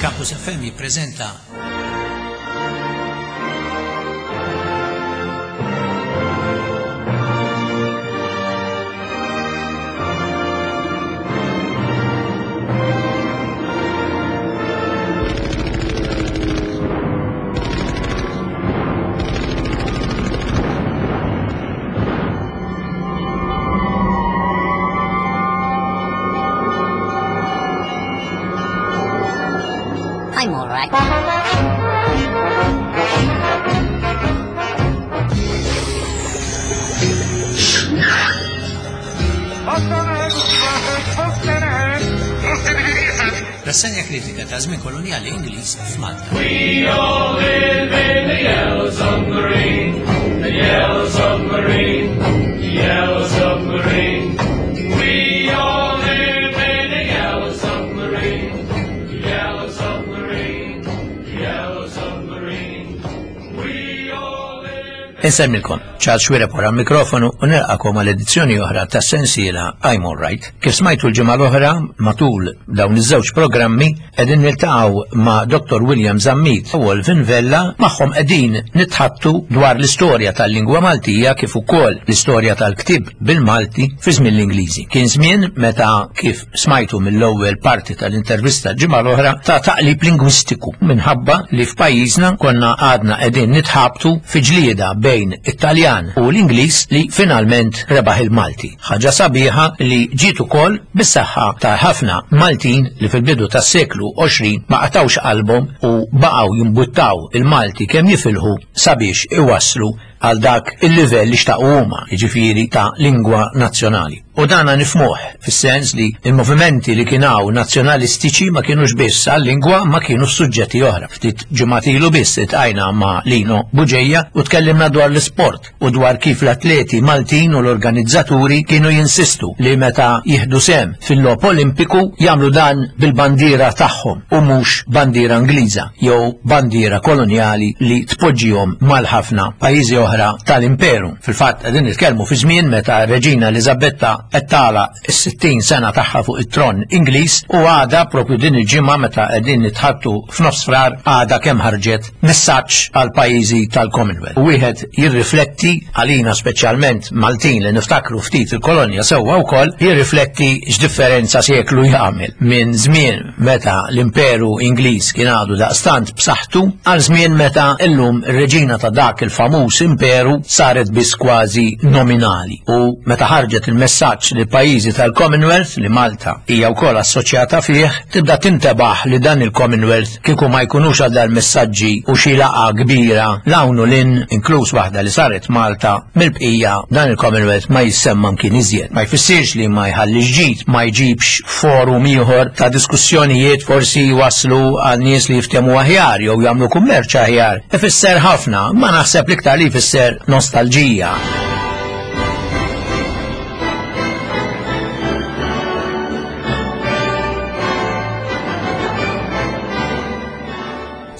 Campus FM jippreżenta I'm all right. Rassenja kritika ta' żmien kolonjali Ingliż f'Malta. We all live in the yellow submarine, the yellow submarine, the yellow submarine. We all live in the yellow submarine, the yellow submarine, the yellow submarine. We all live. Insemmilkom, Charles Xuereb wara l-mikrofonu u nilqakom għal edizzjoni oħra ta' sensiela I'm All Right. Kif smajtu l-ġimgħa l-oħra matul dawn iż-żewġ programmi qegħdin niltaqgħu ma' Dr. William Zammit u Olvin Vella magħhom qegħdin nitħattu dwar l-istorja tal-lingwa Maltija kif ukoll l-istorja tal-ktieb bil-Malti fi żmien l-Ingliżi. Kien żmien meta kif smajtu mill-ewwel parti tal-intervista l-ġimgħa l-oħra ta' taqlib lingwistiku minħabba li f'pajjiżna konna għadna qegħdin nitħabtu fi ġlieda bejn it-Taljan u l-Ingliż li finalment rebaħ il-Malti. Ħaġa sabiħa li ġiet ukoll bis-saħħa ta' ħafna Maltin li fil-bidu tas-seklu 20 ma qatgħux qalbhom u baqgħu jimbuttaw il-Malti kemm jifilħu sabiex iwasslu għal dak il-livell li xtaqu huma, jiġifieri ta' lingwa nazzjonali. U dana nifhmuh fis-sens li l-movimenti li kien hawn nazzjonalistiċi ma kienux biss għal-lingwa ma kienu f'suġġetti oħra. Ftit ġimgħat ilu biss iltqajna ma' Lino Bugeja u tkellimna dwar l-isport u dwar kif l-atleti Maltin u l-organizzaturi kienu jinsistu li meta jieħdu sehem fil-logħob Olimpiku jagħmlu dan bil-bandiera tagħhom u mhux bandiera Ingliża jew bandiera kolonjali li tpoġġihom mal-ħafna pajjiżi oħra tal-imperu. Fil-fatt qegħdin nitkellmu fi żmien meta r-Reġina Eliżabetta qed tagħlaq is-60 sena tagħha fuq it-tron Ingliż u għada propju din il-ġimgħa meta qegħdin nitħattu f'nofs Frar għada kemm ħarġet messaġġ għal pajjiżi tal-Commonwealth. U wieħed jirrifletti għalina speċjalment Maltin li niftakru ftit il-kolonja sewwa wkoll jirrifletti x'differenza seklu jagħmel minn żmien meta l-Imperu Ingliż kien għadu daqstant b'saħħtu għal żmien meta llum ir-reġina ta' dak il-famuż imperu saret biss kważi nominali u meta ħarġet il-messaġġ li pajjiżi tal-Commonwealth li Malta hija wkoll assoċjata fih tibda tintebaħ li dan il-Commonwealth kieku ma jkunux għal dal-messaġġi u xi laqgħa kbira 'l hawn u 'l hinn inkluż waħda li saret Malta mill-bqija dan il-Commonwealth ma jissemma mkien iżjed. Ma jfissirx li ma jħallix ġid, ma jġibx forum ieħor ta' diskussjonijiet forsi jwasslu għal nies li jiftehmu aħjar jew jagħmlu kummerċ aħjar. Ifisser ħafna, ma naħseb l-iktar li jfisser nostalġija.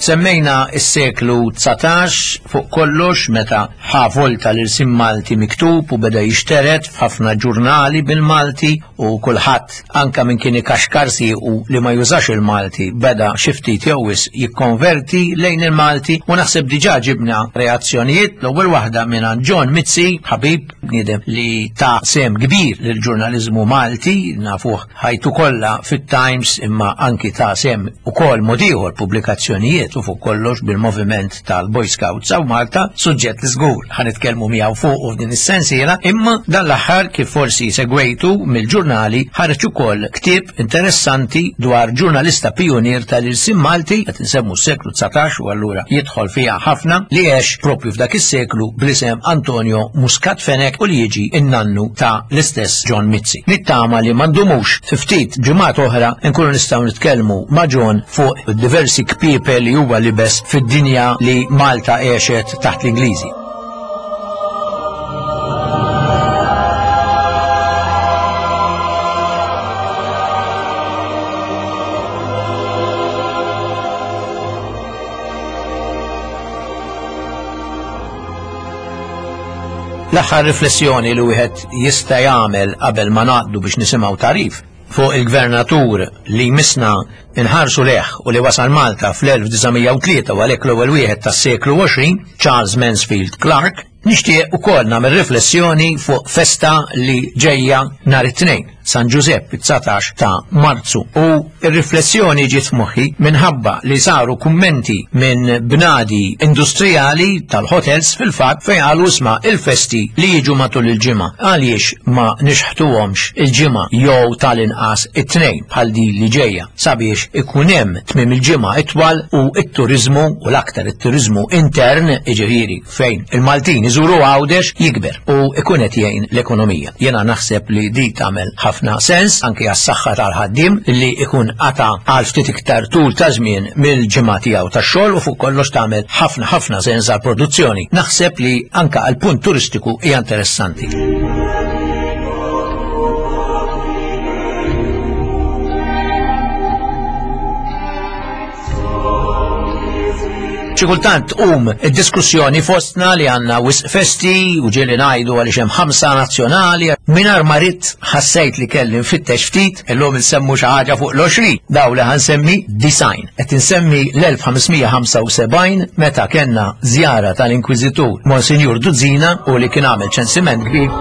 Semmejna s-seklu 19 fuq kollox meta ħa volta l-irsim Malti miktub u beda jixteret f'ħafna ġurnali bil-Malti u kulħadd anka min kien ikaxkar siequ li ma jużax il-Malti beda xi ftit jew wisq jikkonverti lejn il-Malti u naħseb diġà ġibna reazzjonijiet l-ewwel waħda mingħand John Mizzi, ħabib bniedem li ta sehem kbir lill-ġurnaliżmu Malti, nafuh ħajtu kollha fit-Times imma anki ta sehem ukoll mod ieħor pubblikazzjonijiet u fuq kollox bil-moviment tal-Boy Scouts hawn Malta, suġġett li żgur ħa nitkellmu miegħu fuqu f'din is-sensiela, imma dan l-aħħar kif forsi segwejtu mill-ġurnali ħareġ ukoll ktieb interessanti dwar ġurnalista pijunier tal-ilsien Malti, qed insemmu s-seklu 19 u allura jidħol fiha ħafna, li għex propju f'dak is-seklu bl-isem Antonio Muscat Fenech u li jiġi n-nannu ta' l-istess John Mizzi. Nittama li ma ndumux fi ftit ġimgħat oħra nkunu nistgħu nitkellmu ma' John fuq diversi kpiepel li huwa libes fid-dinja li Malta għexet taħt l-Ingliżi. L-aħħar riflessjoni li wieħed jista' jagħmel qabel ma ngħaddu biex nisimgħu tagħrif. fuq il-gvernatur li jmissna nħarsu leħ u li wasal Malta fl-1903 u għalhekk l-ewwel wieħed tas-seklu 20, Charles Mansfield Clark, nixtieq ukoll nagħmel riflessjoni fuq festa li ġejja nhar it-Tnejn, San Ġużepp, it-19 ta' Marzu. U r-riflessjoni ġiet f'moħħi minħabba li saru kummenti minn bnadi industrijali tal-hotels fil-fatt fejn qalu isma' il-festi li jiġu matul il-ġimgħa għaliex ma nixħtuhomx il-ġimgħa jew tal-inqas it-Tnejn bħal din li ġejja sabiex ikun hemm tmiem il-ġimgħa itwal u t-turiżmu u l-aktar it-turiżmu intern jiġifieri fejn il-Maltin iżuru Għawdex jikber u ikun qed jgħin l-ekonomija. Jiena naħseb li di tagħmel ħafna sens anke għas-saħħa tal-ħaddiem li ikun qata' għal ftit iktar tul ta' żmien mill-ġimgħa tiegħu tax-xogħol u fuq kollox tagħmel ħafna ħafna sens għall-produzzjoni. Naħseb li anke għall-punt turistiku hija interessanti. Xi kultant tqum id-diskussjoni fostna li għandna wisq festi u ġieli ngħidu għaliex hemm ħamsa nazzjonali. Mingħajr ma ridt ħassejt li kelli nfittex ftit, illum insemmu xi ħaġa fuq l-20 daw li ħansemmi design. Qed insemmi l-1575 meta kellna żjara tal-Inkwiżitur Monsinjur Duzzina u li kien għamel ċensiment kbir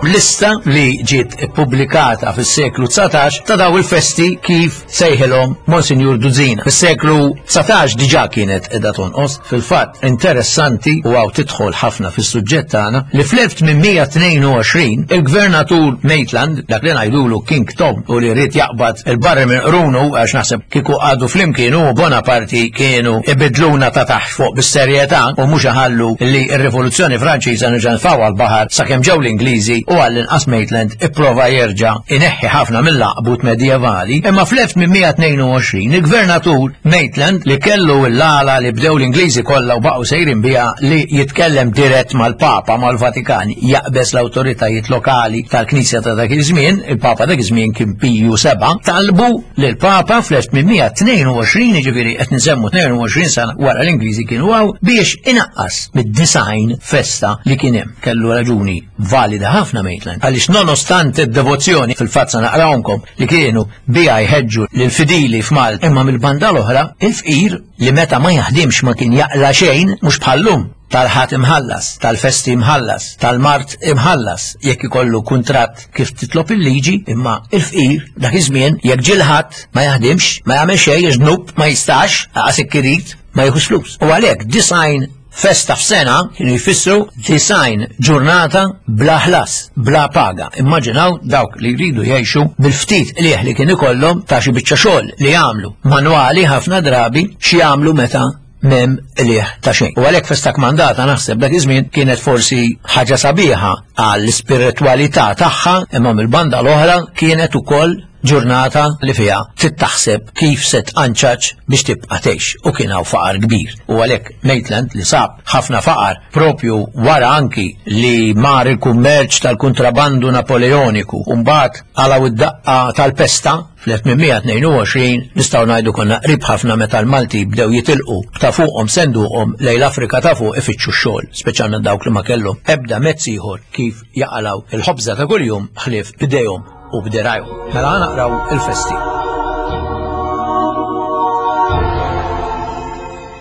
lista li ġiet ippubblikata fis-seklu 19 ta' daw il-festi kif sejħilhom Monsinjur Duzzina. Fis-seklu 19 diġà kienet qiegħda tonqos. Fil-fatt interessanti u hawn tidħol ħafna fis-suġġett tagħna li fl-1822 il-Gvernatur Maitland, dak li ngħidulu King Tom u li ried jaqbad il-barri minn qrunu għax naħseb kieku qagħdu flimkien hu u Bonaparte kienu ibidluna ta' taħt fuq bis-serjetà u mhux iħallu li r-Rivoluzzjoni Franċiża nerġa' nfgħuha l-baħar sakemm ġew l-Ingliżi u għall-inqas Maitland ipprova jerġa' ineħħi ħafna mill-għaqbut medjevali, imma fl-1822 il-Gvernatur Maitland li kellu l-għala li bdew l-Ingliżi kollha u baqgħu sejrin biha li jitkellem dirett mal-Papa mal-Vatikan jaqbeż l-awtoritajiet lokali tal-Knisja ta' dak iż-żmien, il-Papa dak iż-żmien kien Piju VII, talbu lill-Papa fl-1822, jiġifieri qed nsemmu 22 sena wara l-Ingliżi kienu hawn, biex inaqqas mid-90 festa li kien hemm. Kellu raġuni valida ħafna Maitland, għaliex nonostante d-devozzjoni, fil-fatt sa naqrawhomkom, li kienu biha jħeġġu lill-fidili f'Malta, imma mill-banda l-oħra, il-fqir li meta ma jaħdimx ma kien jaqla' xejn, mhux bħal-lum, tal-Ħadd imħallas, tal-festi imħallas, tal-mard imħallas, jekk ikollu kuntratt kif titlob il-liġi, imma il-fqir dak iż-żmien jekk ġie l-Ħadd ma jaħdimx, ma jagħmel xejn għax dnub ma jistax, lanqas jekk irid, ma jieħux flus. U għalhekk 90 Festa f'sena kienu jfissru 90 ġurnata bla ħlas, bla paga. Immaġinaw dawk li jridu jgħixu bil-ftit qligħ li kien ikollhom ta' xi biċċa xogħol li jagħmlu manwali ħafna drabi x'jagħmlu meta m'hemm qligħ ta' xejn. U għalhekk festa kmandata naħseb dak iż-żmien kienet forsi ħaġa sabiħa għall-ispiritwalità tagħha imma mill-banda l-oħra kienet ukoll ġurnata li fiha trid taħseb kif se tqanċaċ biex tibqa' tgħix u kien hawn faqar kbir. U għalhekk Maitland li sab ħafna faqar propju wara anki li mar il-kummerċ tal-kuntrabandu Napoleoniku u mbagħad qalgħu id-daqqa tal-pesta fl-1822 nistgħu ngħidu konna qrib ħafna meta l-Malti bdew jitilqu b'ta' fuqhom senduqhom lejn l-Afrika ta' fuq ifittxu x-xogħol, speċjalment dawk li ma kellhom ebda mezz ieħor kif jaqalgħu il-ħobża ta' kuljum ħlief b'idejhom u b'dirajhom. Mela ħa naqraw il-festi.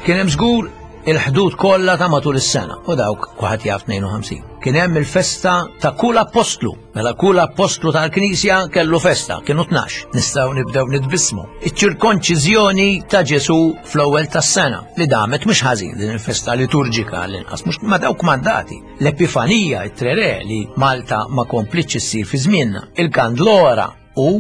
Kien hemm żgur il-ħdud kollha ta' matul is-sena u dawk kulħadd jaf 52. Kien hemm il-festa ta' kull appostlu. Mela kull appostlu tal-Knisja kellu festa, kienu 12. Nistgħu nibdew nitbissmu. Iċ-ċirkonċiżjoni ta' Ġesù fl-ewwel tas-sena li damet mhux ħażin din il-festa liturġika l-inqas mhux ma dawk mandati. L-Epifanija, it-Tre Re li Malta ma komplitx issir fi żmienna, il-Kandlora u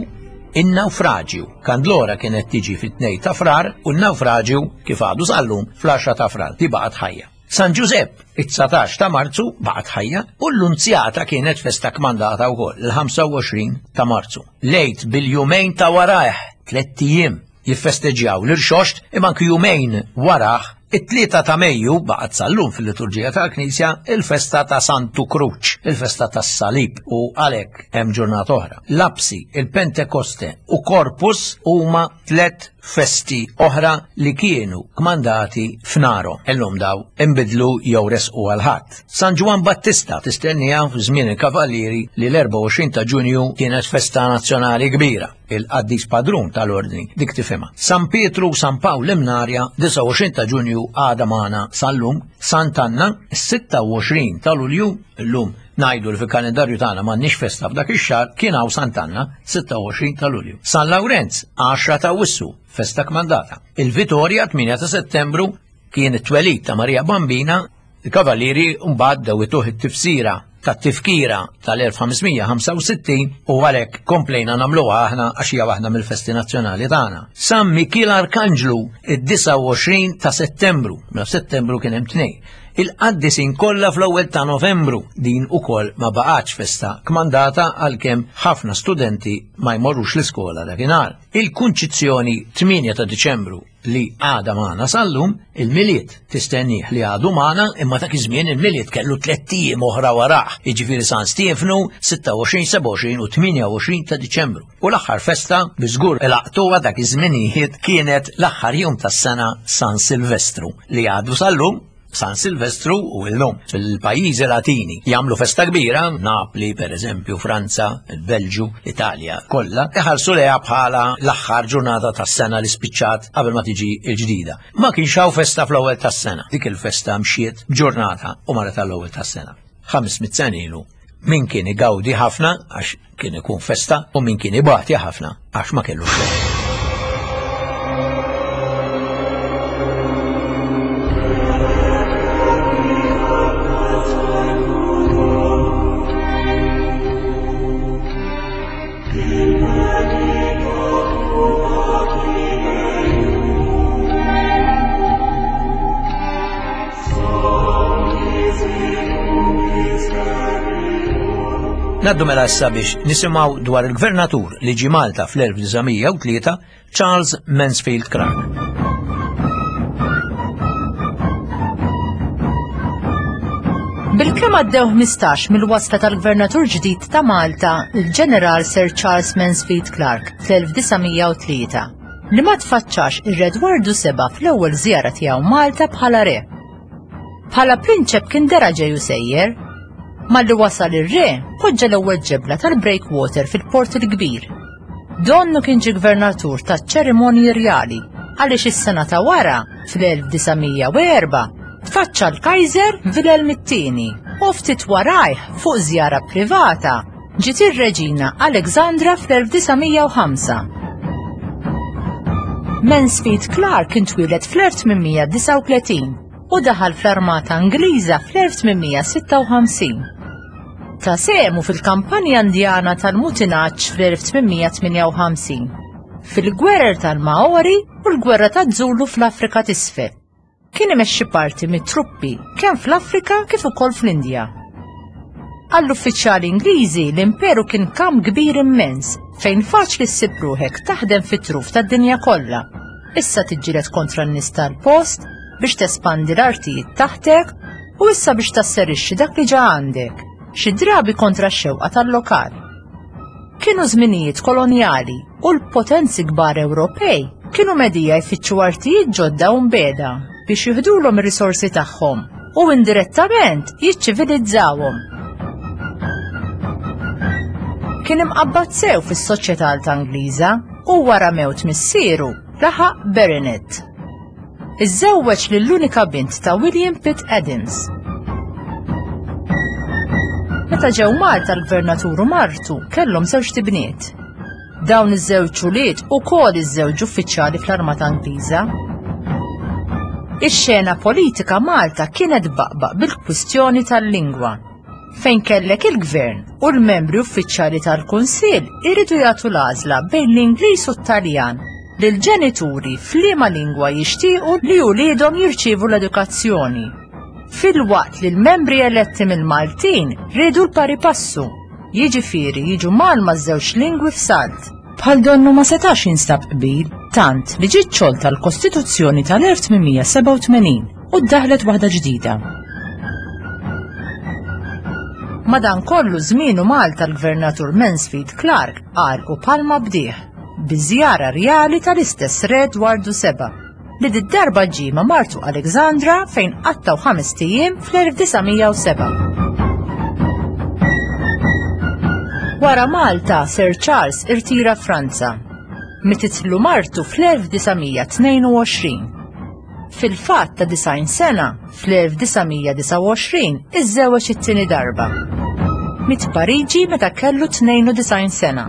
in-nawfraġju. Kandlora kienet tiġi fit-2 ta' Frar u n-nawfraġju kif għadu sal-lum fl-10 ta' Frar, di baqgħet ħajja. San Ġużepp, it-19 ta' Marzu baqgħet ħajja u l-Lunzjata kienet festa kmandata wkoll, il-25 ta' Marzu. L-Għid bil-jumejn ta' warajh, tlett ijiem, jiffesteġġjaw l-Irxoxt imma anki jumejn warah. It-tlieta ta' Mejju baqgħet sal-lum fil-liturġija tal-Knisja il-festa ta' Santu Kruċ, il-festa tas-Salib u għalhekk hemm ġurnata oħra. Lapsi, il-Pentekoste u Corpus huma tlet festi oħra li kienu kmandati f'narhom. Illum daw inbidlu jew resqu għal ħadd. San Ġwann Battista tistennija f'żmien il-Kavallieri li l-24 ta' Ġunju kienet festa nazzjonali kbira. il-qaddis padrun tal-ordni, dik tifhimha. San Pietru u San Pawl Imnarja, 29 ta' Ġunju għada magħna sal-lum, Sant'Anna, 26 ta' Lulju, illum ngħidu li fil-kalendarju tagħna m'għandniex festa f'dak ix-xahar, kien hawn Sant'Anna, 26 ta' Lulju. San Lawrenz, 10 ta' Wissu, festa kmandata. Il-Vitorja, 8 ta' Settembru, kien it-twelid ta' Marija Bambina, il-Kavallieri mbagħad dew ituh it-tifsira tat-tifkira tal-1565 u għalhekk komplejna nagħmluha aħna għax hija waħda mill-festi nazzjonali tagħna. San Mikiel Arkanġlu id-29 ta' Settembru, mela f'Settembru kien hemm tnejn. Il-qaddisin kollha fl-ewwel ta' Novembru din ukoll ma baqgħetx festa kmandata għalkemm ħafna studenti ma jmorrux l-iskola dakinhar. Il-Kunċizzjoni 8 ta' Diċembru li għada magħna sal-lum, il-Milied tistennih li għadu magħna imma dak iż-żmien il-Milied kellu tlett ijiem oħra warah, jiġifieri San Stiefnu 26, 27 u 28 ta' Diċembru. U l-aħħar festa bi żgur laqtuha dak iż-żminijiet kienet l-aħħar jum tas-sena San Silvestru li għadu sal-lum San Silvestru u illum fil-pajjiżi Latini jagħmlu festa kbira, Napli per eżempju, Franza, il-Belġu, l-Italja, kollha iħarsu lejha bħala l-aħħar ġurnata tas-sena li spiċċat qabel ma tiġi l-ġdida. Ma kienx hawn festa fl-ewwel tas-sena. Dik il-festa mxiet b'ġurnata u marret għall-ewwel tas-sena. 500 sena ilu min kien igawdi ħafna għax kien ikun festa u min kien ibati ħafna għax ma kellu xogħol. Naddu mela issa biex nisimgħu dwar il-gvernatur li ġie Malta fl-1903 Charles Mansfield Clark. Bilkemm għaddew 15 mill-wasla tal-Gvernatur ġdid ta' Malta, il-Ġeneral Sir Charles Mansfield Clark fl-1903, li ma tfaċċax ir-Re Edwardu Seba' fl-ewwel żjara tiegħu Malta bħala re. Bħala prinċep kien dera ġej u sejjer. Malli wasal ir-re, poġġa l-ewwel ġebla tal-breakwater fil-Port il-Kbir. Donnu kien ġie gvernatur taċ-ċerimonji rjali għaliex is-sena ta' wara, fl-1904, tfaċċa l-Kaiser Wilhelm it-Tieni u ftit warajh fuq żjara privata ġiet ir-Reġina Alexandra fl-1905. Mansfield Clark kien twieled fl-1839 u daħal fl-Armata Ingliża fl-1856. Ta sehmu fil-kampanja Indjana tal-mutinaġġ fl-1858, fil-Gwerer tal-Maori u l-Gwerra taż-Zulu fl-Afrika t'Isfel. Kien imexxi parti mit-truppi kemm fl-Afrika kif ukoll fl-Indja. Għall-uffiċjali Ingliżi l-imperu kien kamp kbir immens fejn faċli ssib ruħek taħdem fit-truf tad-dinja kollha. Issa tiġġieled kontra n-nies tal-post biex tespandi l-artijiet taħtek u issa biex tasserixxi dak li ġa għandek, xi drabi kontra x-xewqa tal-lokal. Kienu żminijiet kolonjali u l-potenzi kbar Ewropej kienu medija jfittxu artijiet ġodda u mbeda biex jiħdulhom ir-risorsi tagħhom u indirettament jiċċivilizzawhom. Kien imqabbad sew fis-soċjetà Alta Ingliża u wara mewt missieru laħaq baronet. Iżżewweġ lill-unika bint ta' William Pitt Adams. Meta ġew Malta l-gvernatur u martu kellhom żewġ tibniet. Dawn iż-żewġ ulied ukoll iżżewġu uffiċjali fl-Armata Ingliża. Ix-xena politika Malta kienet baqbaq bil-kwistjoni tal-lingwa fejn kellek il-gvern u l-membri uffiċjali tal-Kunsill iridu jagħtu l-għażla bejn l-Ingliż u t-Taljan lill-ġenituri f'liema lingwa jixtiequ li uliedhom jirċievu l-edukazzjoni. Filwaqt li l-membri eletti mill-Maltin riedu l-pari passu, jiġifieri jiġu mgħallma ż-żewġ lingwi f'salt. Bħal donnu ma setax jinstab qbil, tant li ġiet xolta l-Kostituzzjoni tal-1887 u ddaħlet waħda ġdida. Madankollu żmienu Malta l-Gvernatur Mansfield Clark qal u palma bdieh bi żjara rjali tal-istess Re Dwardu Seba' li did-darba ġie ma' martu Alexandra fejn qattgħu ħamest ijiem fl-1907. Wara Malta, Sir Charles irtira Franza. Mititlu martu fl-1922. Fil-fatt ta' 90 sena, fl-1929 iżżewweġ it-tieni darba. Miet Pariġi meta kellu 92 sena.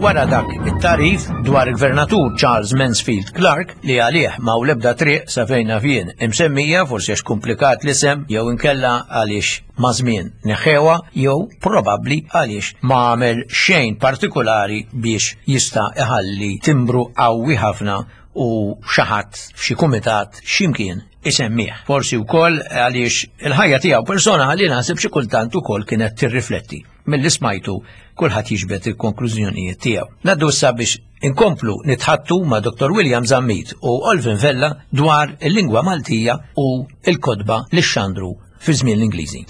Wara dak it-tarif dwar il-Gvernatur Charles Mansfield Clark li għalih ma l-ebda triq sa fejn naf jien imsemmija forsi għax kumplikat l-isem jew inkella għaliex ma' żmien neħħewha jew probabbli għaliex ma għamel xejn partikulari biex jista' iħalli timbru qawwi ħafna u xi ħadd f'xi kumitat x'imkien isemmih. Forsi wkoll għaliex il-ħajja tiegħu personali naħseb xi kultant ukoll kienet tirrifletti. Milli smajtu kulħadd jiġbed il-konklużjonijiet tiegħu. Naddu issa biex inkomplu nitħattu ma' Dr. William Zammit u Olvin Vella dwar il-lingwa Maltija u l-kotba li xandru fi żmien l-Ingliżi.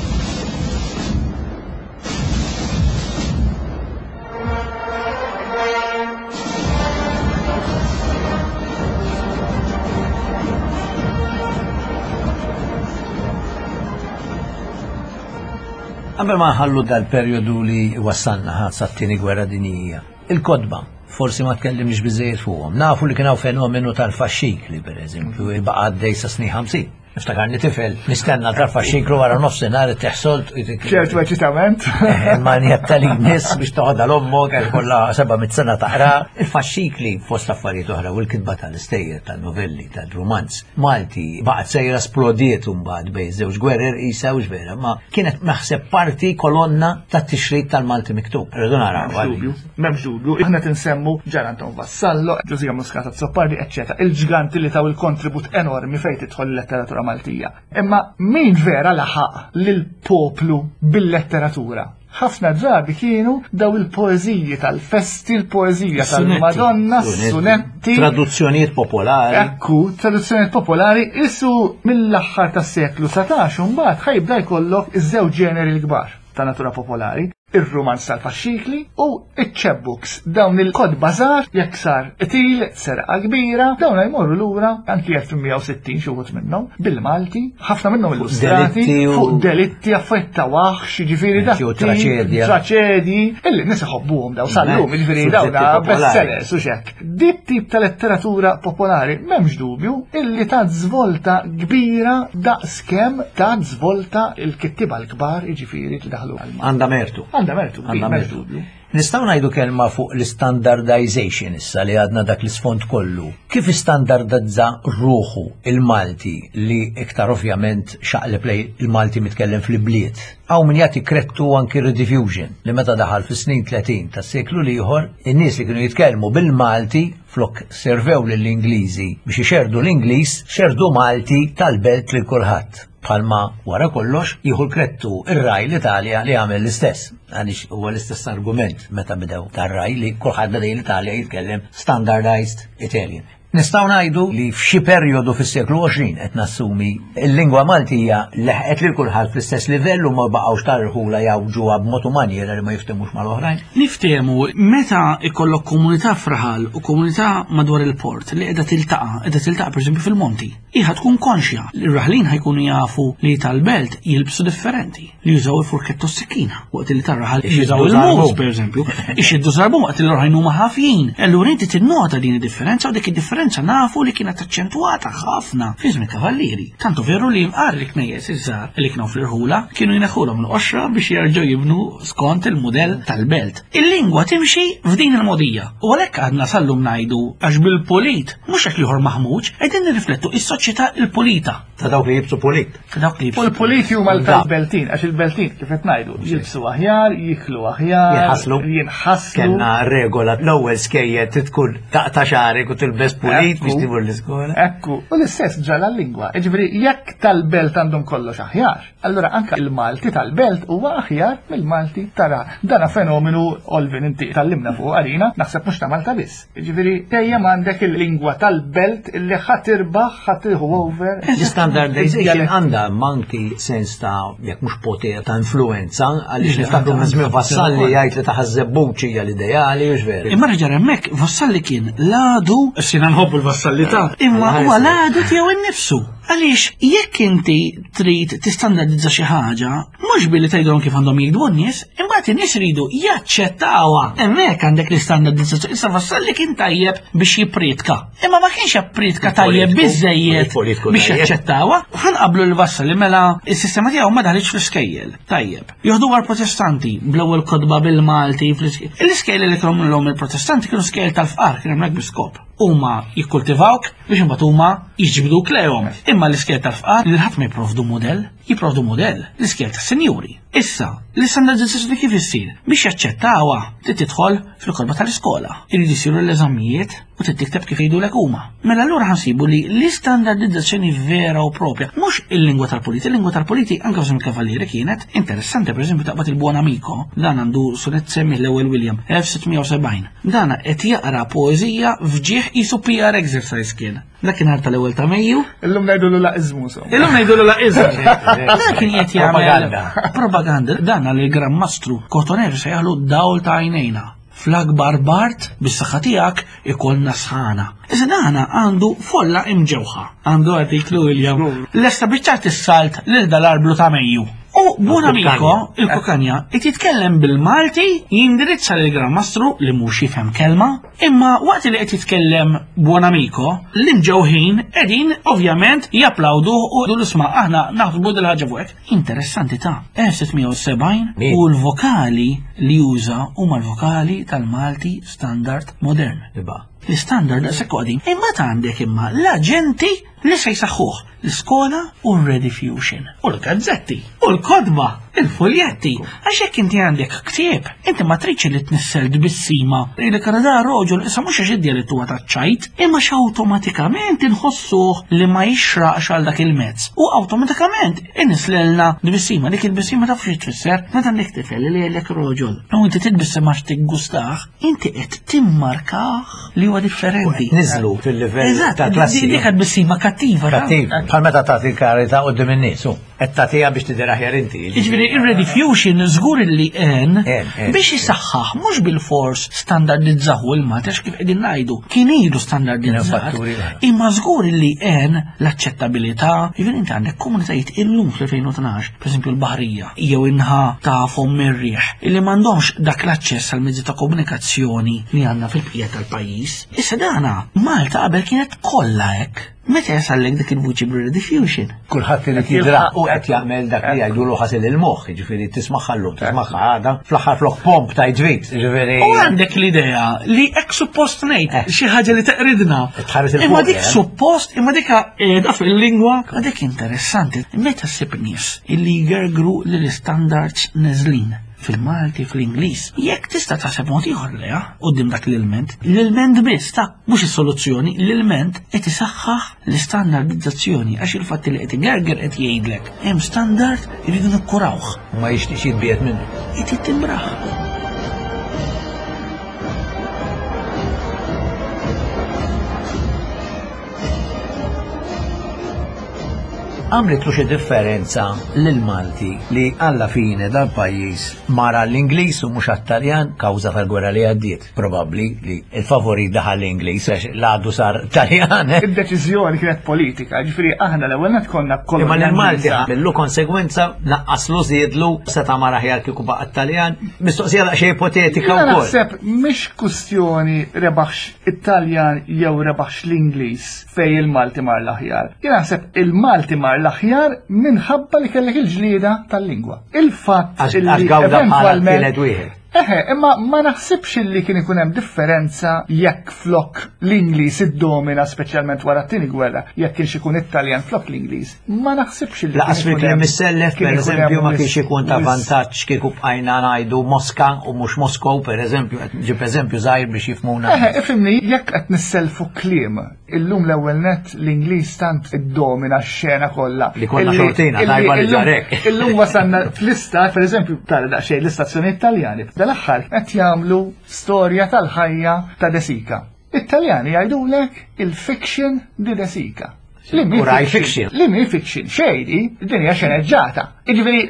Qabel ma nħallu dal-perjodu li wassalna ħadd sat-tieni gwerra dinjija, il-kotba forsi ma tkellimniex biżejjed fuqhom. Nafu li kien hawn fenomenu tal-faxxikli, pereżempju, baqa' għaddej sa snin 50. Niftakarni tifel, nistenna tal-faxxiklu wara nofsinhar teħsolt. ċertu eċitament. Eh, ma njetta li nis biex toħodha l-ommok għax kollha 700 sena taqra. Il-faxxikli fost affarijiet oħra u l-kitba tal-istejjer, tal-novelli, tal-romanz. Malti baqgħet sejra splodiet imbagħad bejn żewġ gwerer qisha hux vera, ma kienet naħseb parti kolonna tat-tixrid tal-Malti miktub. Rridu naraw. M'hemmx dubju, aħna tinsemmu Ġan Anton Vassallo, Ġużija Muscat Azzopardi, eċċetera, il-ġganti li taw il-kontribut enormi fejn tidħol il-letteratura Maltija. Imma min vera laħaq lill-poplu bil-letteratura? ħafna drabi kienu daw il-poeżiji tal-festi, il-poeżija tal-Madonna, sunetti. Traduzzjonijiet popolari. Ekku, traduzzjonijiet popolari isu mill-aħħar tas-seklu 19 mbagħad ħajbda jkollok iż-żewġ ġeneri l-kbar ta' natura popolari, ir-rumanz tal-faxxikli u iċ-chapbooks, dawn il-kotba żgħar jekk sar qtil, serqa kbira, dawn jmorru lura anki 1860 xi wħud minnhom bil-Malti, ħafna minnhom illustrati fuq delitti affarijiet ta' waħx, jiġifieri dak. Traċedja. Traċedji, illi nies iħobbuhom daw sal-lum, jiġifieri dawn bestsellers u xek. Dit tip ta' letteratura popolari m'hemmx dubju illi ta' żvolta kbira daqskemm ta' żvolta il-kittiba l-kbar jiġifieri li daħlu għal. Għandha mertu. Għandha mertu, Għandha mertu. Nistgħu ngħidu kelma fuq l-standardization issa li għadna dak l-isfond kollu. Kif istandardizza ruħu il-Malti li iktar ovvjament xaqleb lej il-Malti mitkellem fl-ibliet? Hawn min jagħti krettu anki rediffusion li meta daħal fis-snin 30 tas-seklu l-ieħor, in-nies li kienu jitkellmu bil-Malti flok servew lill-Ingliżi biex ixerrdu l-Ingliż, xerrdu Malti tal-belt lil kulħadd. Bħalma wara kollox jieħu l-krettu ir-raj l-Italja li għamel l-istess. Għaliex huwa l-istess argument meta bdew tar-raj li kulħadd beda l-Italja jitkellem standardized Italian. Nistgħu ngħidu li f'xi perjodu fis-seklu 20 qed nassumi il-lingwa Maltija leħqet lil kulħadd fl-istess livell u ma baqgħux tal-irħula jgħawġuha b'mod u manjiera li ma jiftehmux mal-oħrajn. Niftehmu meta ikollok komunità f'raħal u komunità madwar il-port li qiegħda tiltaqa', qiegħda tiltaqa' pereżempju fil-monti. Hi ħa tkun konxja li r-raħlin ħa jkunu jafu li tal-belt jilbsu differenti. li jużaw il-furketta u s-sikkina, waqt li tarraħal jużaw il-mus, per eżempju, ixiddu żarbun waqt li l-oħrajn huma ħafjin. Allura inti tinnota din id-differenza u dik id-differenza nafu li kienet aċċentwata ħafna fi żmien kavallieri. Tantu veru li mqar li knejjes iż-żgħar li kienu fl-irħula kienu jneħħulhom l-qoxra biex jerġgħu jibnu skont il-mudell tal-belt. Il-lingwa timxi f'din il-mogħdija u għalhekk għadna sal-lum ngħidu għax bil-pulit mhux għax l-ieħor maħmuġ, qegħdin nirriflettu is-soċjetà il-pulita. Ta' dawk li jibsu pulit. Ta' dawk li jibsu. U l-puliti huma tal-beltin, għax il-beltin kif qed ngħidu, jilbsu aħjar, jiklu aħjar, jinħaslu. Jinħaslu. Kellna regola l-ewwel skejjed tkun taqta' xagħrek u tilbes pulit biex timur l-iskola. Ekku, u l-istess ġala l-lingwa. Ġifieri jekk tal-belt għandhom kollox aħjar, allura anka il-Malti tal-belt huwa aħjar mill-Malti tara. Dana fenomenu Olvin inti tallimna fuq għalina, naħseb mhux ta' Malta biss. Ġifieri dejjem għandek il-lingwa tal-belt illi ħa tirbaħ, ħa tieħu over. L-standardization għandha manki sens ta' jekk mhux poter ta' influenza għaliex niftakru minn żmien Vassalli jgħid li ta' Ħaż-Żebbuġ hija l-ideali u veru. Imma reġa' hemmhekk Vassalli kien l-għadu, sina nħobbu l-Vassalli ta' imma huwa l-għadu tiegħu innifsu. Għaliex jekk inti trid tistandardizza xi ħaġa, mhux billi tgħidilhom kif għandhom jgħidu n-nies, imbagħad in-nies iridu jaċċettawha. Hemmhekk għandek l-istandardizzazzjoni. Issa Vassalli kien tajjeb biex jippriedka. Imma ma kienx jappriedka tajjeb biżejjed biex jaċċettawha. Ħanqablu l-Vassalli mela s-sistema tiegħu ma daħlitx fl-iskejjel. Tajjeb. Joħdu għal protestanti bl-ewwel kotba bil-Malti fl-iskejjel. L-iskejjel li kellhom il-protestanti kienu skejjel tal-fqar, kien hemmhekk bi skop. Huma jikkultivawk biex imbagħad huma jiġbduk lejhom. Imma l-iskejjel tal-fqar li ħadd ma jipprovdu mudell, jipprovdu mudell l-iskejjel tas-sinjuri. Issa, l-istandardizzazzjoni kif issir? Biex jaċċettawha trid tidħol fil-kotba tal-iskola. Iridu jsiru l-eżamijiet u trid tikteb kif jgħidulek huma. Mela allura ħansibu li l-istandardizzazzjoni vera u propja, mhux il-lingwa tal-politi, il-lingwa tal-politi anke f'żmien il-Kavallieri kienet interessanti, pereżempju taqbad il-Buon Amico, dan għandu sunett semmih l-ewwel William, 1670. Dana qed jaqra poeżija f'ġieħ qisu PR exercise kien. Dakinhar tal-ewwel ta' Mejju. Illum ngħidulu laqiżmu so. Illum ngħidulu laqiżmu. Dan kien qed jagħmel propaganda. Dan għal il-Gran Mastru Cotoner se jaħlu dawl ta' għajnejna. Fl-akbar bart bis-saħħa tiegħek ikollna sħana. Iżda dana għandu folla imġewħa. Għandu artiklu William. Lesta biċċat is-salt lil dal-arblu ta' Mejju. U buon amico, il-kukanja, qed jitkellem bil-Malti, jindirizza lil Gran Mastru li mhux jifhem kelma, imma waqt li qed jitkellem buon amico, l-imġewħin qegħdin ovvjament japplawduh u jgħidu isma' aħna naħsbu dil-ħaġa fuqek. Interessanti ta' 1670 u l-vokali li juża huma l-vokali tal-Malti Standard Modern. L-istandard daqshekk qadim. Imbagħad għandek imma l-aġenti li se jsaħħuh l-iskola u r-rediffusion u l-gazzetti u l-kotba, il-fuljetti. Għax jekk inti għandek ktieb, inti ma tridx li tnissel tbissima li da roġol issa mhux għax id-djalettu huwa taċ-ċajt, imma x'awtomatikament inħossuh li ma jixraqx għal dak il-mezz. U awtomatikament inislelna tbissima, dik il-tbissima taf xi tfisser meta għandek tifel li jgħidlek roġol. U inti titbissem għax tiggustah, Inti qed timmarkah li huwa differenti. Niżlu fil-livell ta' klassi. Dik qed bissima kattiva. Kattiva. Bħal meta tagħti l-karità qudiem in-nies. Qed tagħtiha biex tidher aħjar inti. Jiġifieri ir-rediffusion żgur li għen biex isaħħaħ mhux bil-fors standardizzahu il-Malti għax kif qegħdin ngħidu kien ilu standardizzat. Imma żgur li għen l-aċċettabilità. Jiġifieri inti għandek komunitajiet illum fl-2012, pereżempju l-Baħrija, jew in-naħa ta' fomm ir-riħ, illi m'għandhomx dak l-aċċess għal mezzi ta' komunikazzjoni li għandna fil-bqija tal-pajjiż. Issa dana, Malta qabel kienet kollha hekk. Meta jasallek dik il-vuċi bir-rediffusion? Kulħadd irid jidra u qed jagħmel dak li jgħidulu ħasil il-moħħ, jiġifieri tismagħha llum, tismagħha għada, fl-aħħar flok pomp ta' ġrid, jiġifieri. U għandek l-idea li hekk suppost ngħid eh. xi ħaġa li teqridna. Imma dik eh. suppost, imma dik qiegħda fil-lingwa, ma dik interessanti. Meta ssib nies illi jgergru li l-istandards neżlin fil-Malti, fl-Ingliż. Jekk tista' taħseb mod ieħor leha quddiem dak l-ilment, l-ilment biss ta' mhux is-soluzzjoni, l-ilment qed isaħħaħ l-istandardizzazzjoni għax il-fatt li qed igerger qed jgħidlek hemm standard irridu nikkurawh. Ma jixtieqx jitbiegħed minnu. Qed jittimbrah. Għamlitlu xi differenza lill-Malti li alla fine dal-pajjiż mar għall-Ingliż u mhux għat-Taljan kawża tal-gwerra li għaddiet. Probabbli li l-favorit daħal l-Ingliż għax l-għadu sar Taljan. Eh? Id-deċiżjoni kienet politika, ġifieri aħna l-ewwel net konna kollox. Imma l-Malti għamillu konsegwenza naqqaslu żiedlu seta' mar aħjar kieku baqa' Taljan. Mistoqsija daqsxejn ipotetika wkoll. Naħseb mhix kustjoni rebaħx it-Taljan jew rebaħx l-Ingliż fej il-Malti mar l-aħjar. Jien naħseb il-Malti mar l-aħjar minħabba li kellek il-ġlieda tal-lingwa. Il-fatt li eventwalment. Eħe, imma ma naħsibx li kien ikun hemm differenza jekk flok l-Ingliż iddomina speċjalment wara t-tieni gwerra, jekk kienx ikun Italjan flok l-Ingliż. Ma naħsibx li Laqas fil-kliem missellef, per eżempju, ma kienx ikun ta' vantaġġ kieku bqajna ngħidu Moska u mhux Moskow, per eżempju, ġib eżempju żgħir biex jifhmuna. Eħe, ifhimni, jekk qed nisselfu kliem Illum l-ewwel nett l-Ingliż tant iddomina x-xena kollha. Li konna xortina, tajba li ġarek. Illum wasalna fl-istat, pereżempju, tara daqsxejn l-istazzjoni Taljani. Dal-aħħar qed jagħmlu storja tal-ħajja ta' De Sica. It-Taljani jgħidulek il-fiction di De Sica. Li mi fiction. Li mi fiction, xejdi, din hija xeneġġata. Jiġifieri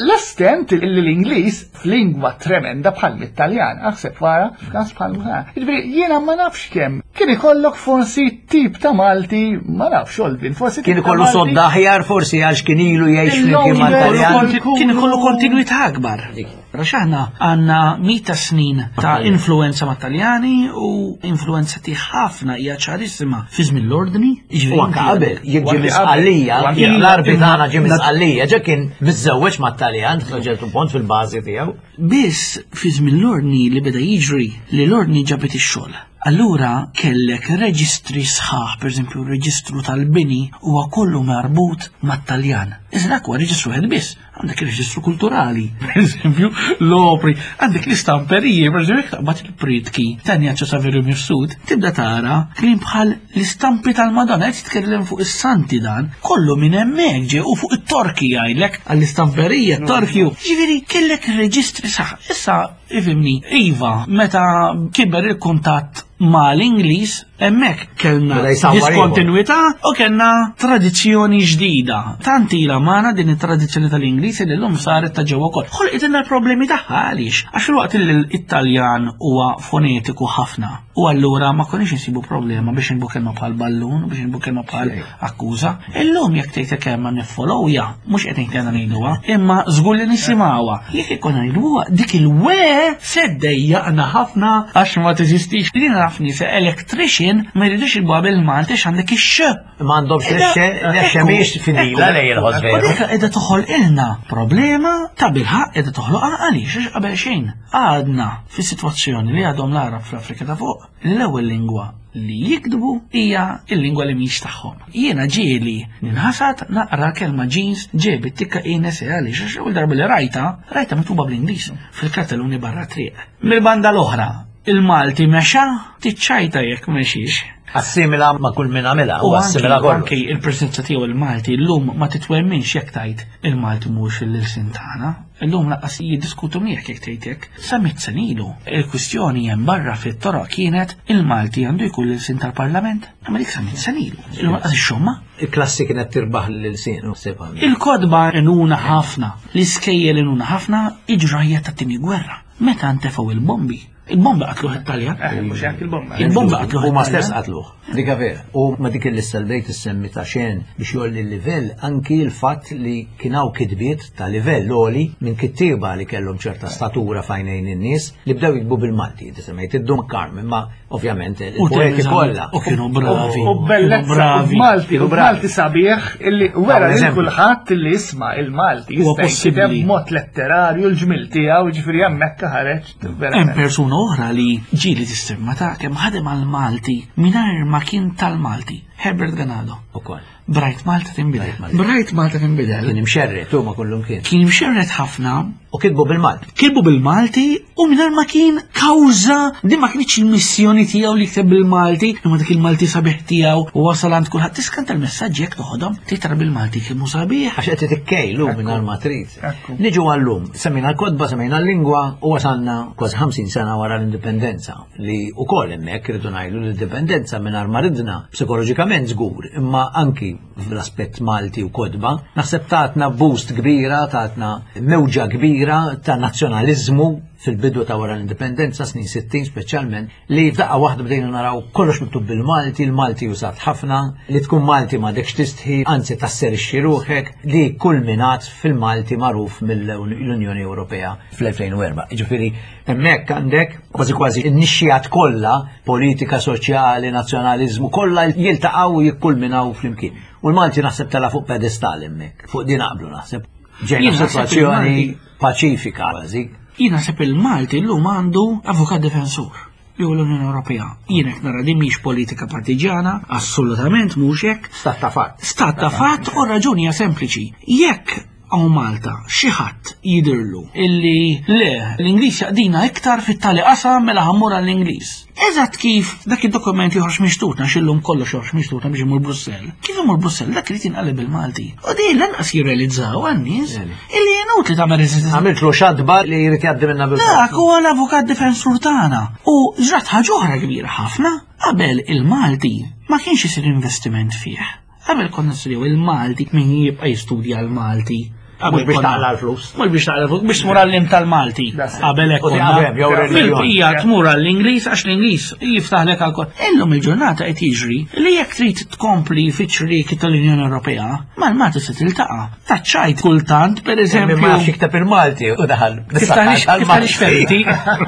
l-estent li l-Ingliż f'lingwa tremenda bħal mit-Taljan, aħseb wara f'każ bħal Jiġifieri jiena ma nafx kemm kien ikollok forsi tip ta' Malti, ma nafx Olvin, forsi kien ikollu sodda aħjar forsi għax kien ilu jgħix flimkien mal-Taljan. Kien ikollu kontinwità akbar. Għax aħna għandna mita snin ta' influenza ma' Taljani u influenza ti ħafna hija ċarissima fi żmien l-ordni. U anke qabel, jekk ġie misqallija, l-arbi tagħna ġie misqallija, ġa kien miżżewweġ mat-Taljan, ġertu pont fil-bażi tiegħu. Biss fi żmien l-ordni li beda jiġri li l-ordni ġabet ix-xogħol. Allura kellek reġistri sħaħ, pereżempju r-reġistru tal-bini huwa kollu marbut mat-Taljan. Iżda dak huwa reġistru wieħed biss. Għandek il-reġistru kulturali, per eżempju, l-opri, għandek l-istamperiji, per eżempju, taqbad il-pritki ta' Njaċċa Saverio Mifsud, tibda tara kliem bħal l-istampi tal-Madonna, qed titkellem fuq is-santi dan, kollu minn hemmhekk ġie u fuq it-torki jgħidlek għall-istamperija, t-torki. Ġifieri kellek reġistri saħ. Issa ifhimni, iva, meta kiber il-kuntatt ma l-Ingliż, hemmhekk kellna diskontinwità u kellna tradizzjoni ġdida. Tant ilha magħna din it-tradizzjoni tal-Ingliż li llum saret ta' ġewwa wkoll. Ħolqet l-problemi tagħha għaliex? Għax filwaqt li l-Italjan huwa fonetiku ħafna u allura ma konniex insibu problema biex inbu kelma bħal ballun, biex inbu kelma bħal akkuża. Illum jekk tgħid kelma niffollowja, mhux qed ngħid għandna ngħiduha, imma żgur li nisimgħuha. Jekk ikun ngħiduha dik il-we se ddejjaqna ħafna għax ma teżistix. Li naf nies electrician ma jridux jilbuha bil-Malti għax għandek ix-x. Ma għandhomx l-x mhix fidila lejn il-ħoss veru. Dik qiegħda toħolqilna problema ta' bilħaqq qiegħda toħloqha għaliex għax qabel xejn. Għadna fis-sitwazzjoni li għadhom l-Għarab fl-Afrika ta' fuq li l-ewwel lingwa li jiktbu hija l-lingwa li mhix tagħhom. Jiena ġieli ninħasad naqra kelma jeans ġebi tikka INSE għaliex għax l-ewwel darba li rajta, rajta miktuba bl-Ingliż fil-kartelluni barra triq. Mill-banda l-oħra, il-Malti mexa tiċċajta jekk mexiex. Assimila ma' kull min għamilha, u assimila kollu. Anki il-preżenza tiegħu il-Malti llum ma titwemminx jekk tgħid il-Malti mhux il-ilsien tagħna. Illum lanqas jiddiskutu miegħek jekk tgħid hekk. Sa mitt sena ilu, il-kwistjoni hemm barra fit-toroq kienet il-Malti għandu jkun l-ilsien tal-Parlament. Imma dik sa mitt sena ilu. Illum lanqas ixxommha. Il-klassi kienet tirbaħ l-ilsien u ssibha. Il-kotba għenuna ħafna, l-iskejjel għenuna ħafna, il-ġrajja tat-Tieni Gwerra. Meta ntefgħu il-bombi, Il-bomba qatluh it-Taljan. Eh, mhux hekk il-bomba. Il-bomba qatluh. Huma stess qatluh. Dika vera. U ma dik il-lista li bdejt issemmi ta' xen biex jolli l-livell anki l-fatt li kien hawn kitbiet ta' livell għoli minn kittieba li kellhom ċerta statura f'għajnejn in-nies li bdew jiktbu bil-Malti. Inti semmejt id-Dun Karm, imma ovvjament il-poeti kollha. U kienu bravi. U bellezza, u Malti, u Malti sabiħ illi wera lil kulħadd illi jisma' il-Malti jista' jikteb b'mod letterarju l-ġmil tiegħu, ġifieri hemmhekk ħareġ Hemm persuna oħra li ġieli tistimma ta' kemm ħadem għal Malti mingħajr ma kien tal-Malti, Herbert Ganado. Ukoll. Brajt Malta tinbidel. Brajt Malta tinbidel. Kien imxerret huma kullum kien. Kien imxerret ħafna. U kitbu bil-Malti. Kitbu bil-Malti u mingħajr ma kien kawża din ma kienx il-missjoni tiegħu li jikteb bil-Malti, imma dik il-Malti sabiħ tiegħu u wasal għand kulħadd tiskanta l-messaġġi jekk toħodhom titra bil-Malti kemm hu sabiħ. Għax qed tikkejlu mingħajr ma trid. Niġu għallum, semmejna l-kotba, semmejna l-lingwa u wasalna kważi 50 sena wara l-indipendenza li wkoll hemmhekk irridu ngħidu l-indipendenza mingħajr ma ridna psikoloġikament żgur, imma anki fl-aspett Malti u kotba, naħseb tatna boost kbira, tatna mewġa kbira ta' nazzjonaliżmu fil-bidu ta' wara l-indipendenza, snin 60 speċjalment, li f'daqqa waħda bdejna naraw kollox miktub bil-Malti, il-Malti użat ħafna, li tkun Malti m'għadekx tistħi, anzi tasserixxi ruħek, li kulminat fil-Malti magħruf mill-Unjoni Ewropea fl-2004. Jiġifieri hemmhekk għandek kważi kważi n-nixxijat kollha, politika, soċjali, nazzjonaliżmu, kollha jiltaqgħu u jikkulminaw flimkien. U l-Malti naħseb tela' fuq pedestal hemmhekk, fuq din naqblu naħseb. Ġejna f'sitwazzjoni paċifika kważi. Jien naħseb il-Malti llum għandu avukat difensur li hu l-Unjoni Ewropea. Jien qed nara din mhix politika partiġjana, assolutament mhux hekk. Stat ta' fatt. Stat ta' fatt u raġuni hija sempliċi. Jekk hawn Malta xi ħadd jidhirlu illi le l-Ingliż jaqdina iktar fit-tali qasam mela ħa mmur għall-Ingliż. Eżatt kif dak id-dokument joħroġ minn xtutna x'illum kollox joħroġ minn xtutna biex imur Brussell. Kif imur Brussell dak irid jinqaleb bil-Malti. U din lanqas jirrealizzaw għan-nies illi inutli tagħmel reżistenza. Għamiltlu xadba li jrid jgħaddi minnha bil Dak huwa l-avukat difensur tagħna. U ġrat ħaġa oħra kbira ħafna, qabel il-Malti ma kienx isir investiment fih. Qabel konna nistudjaw il-Malti, min jibqa' jistudja l-Malti. Mhux biex taqla' l-flus. Mhux biex taqla' l-flus, biex tmur għall-lim tal-Malti. Qabel hekk konna. Fil-bqija tmur għall-Ingliż għax l-Ingliż jiftaħlek għal kol. Illum il-ġurnata qed jiġri li jekk trid tkompli fiċ-ċrieki tal-Unjoni Ewropea, mal-Malti se tiltaqa'. Taċċajt kultant, per eżempju. Ma jafx jikteb il-Malti u daħal. Tiftaħlix feriti,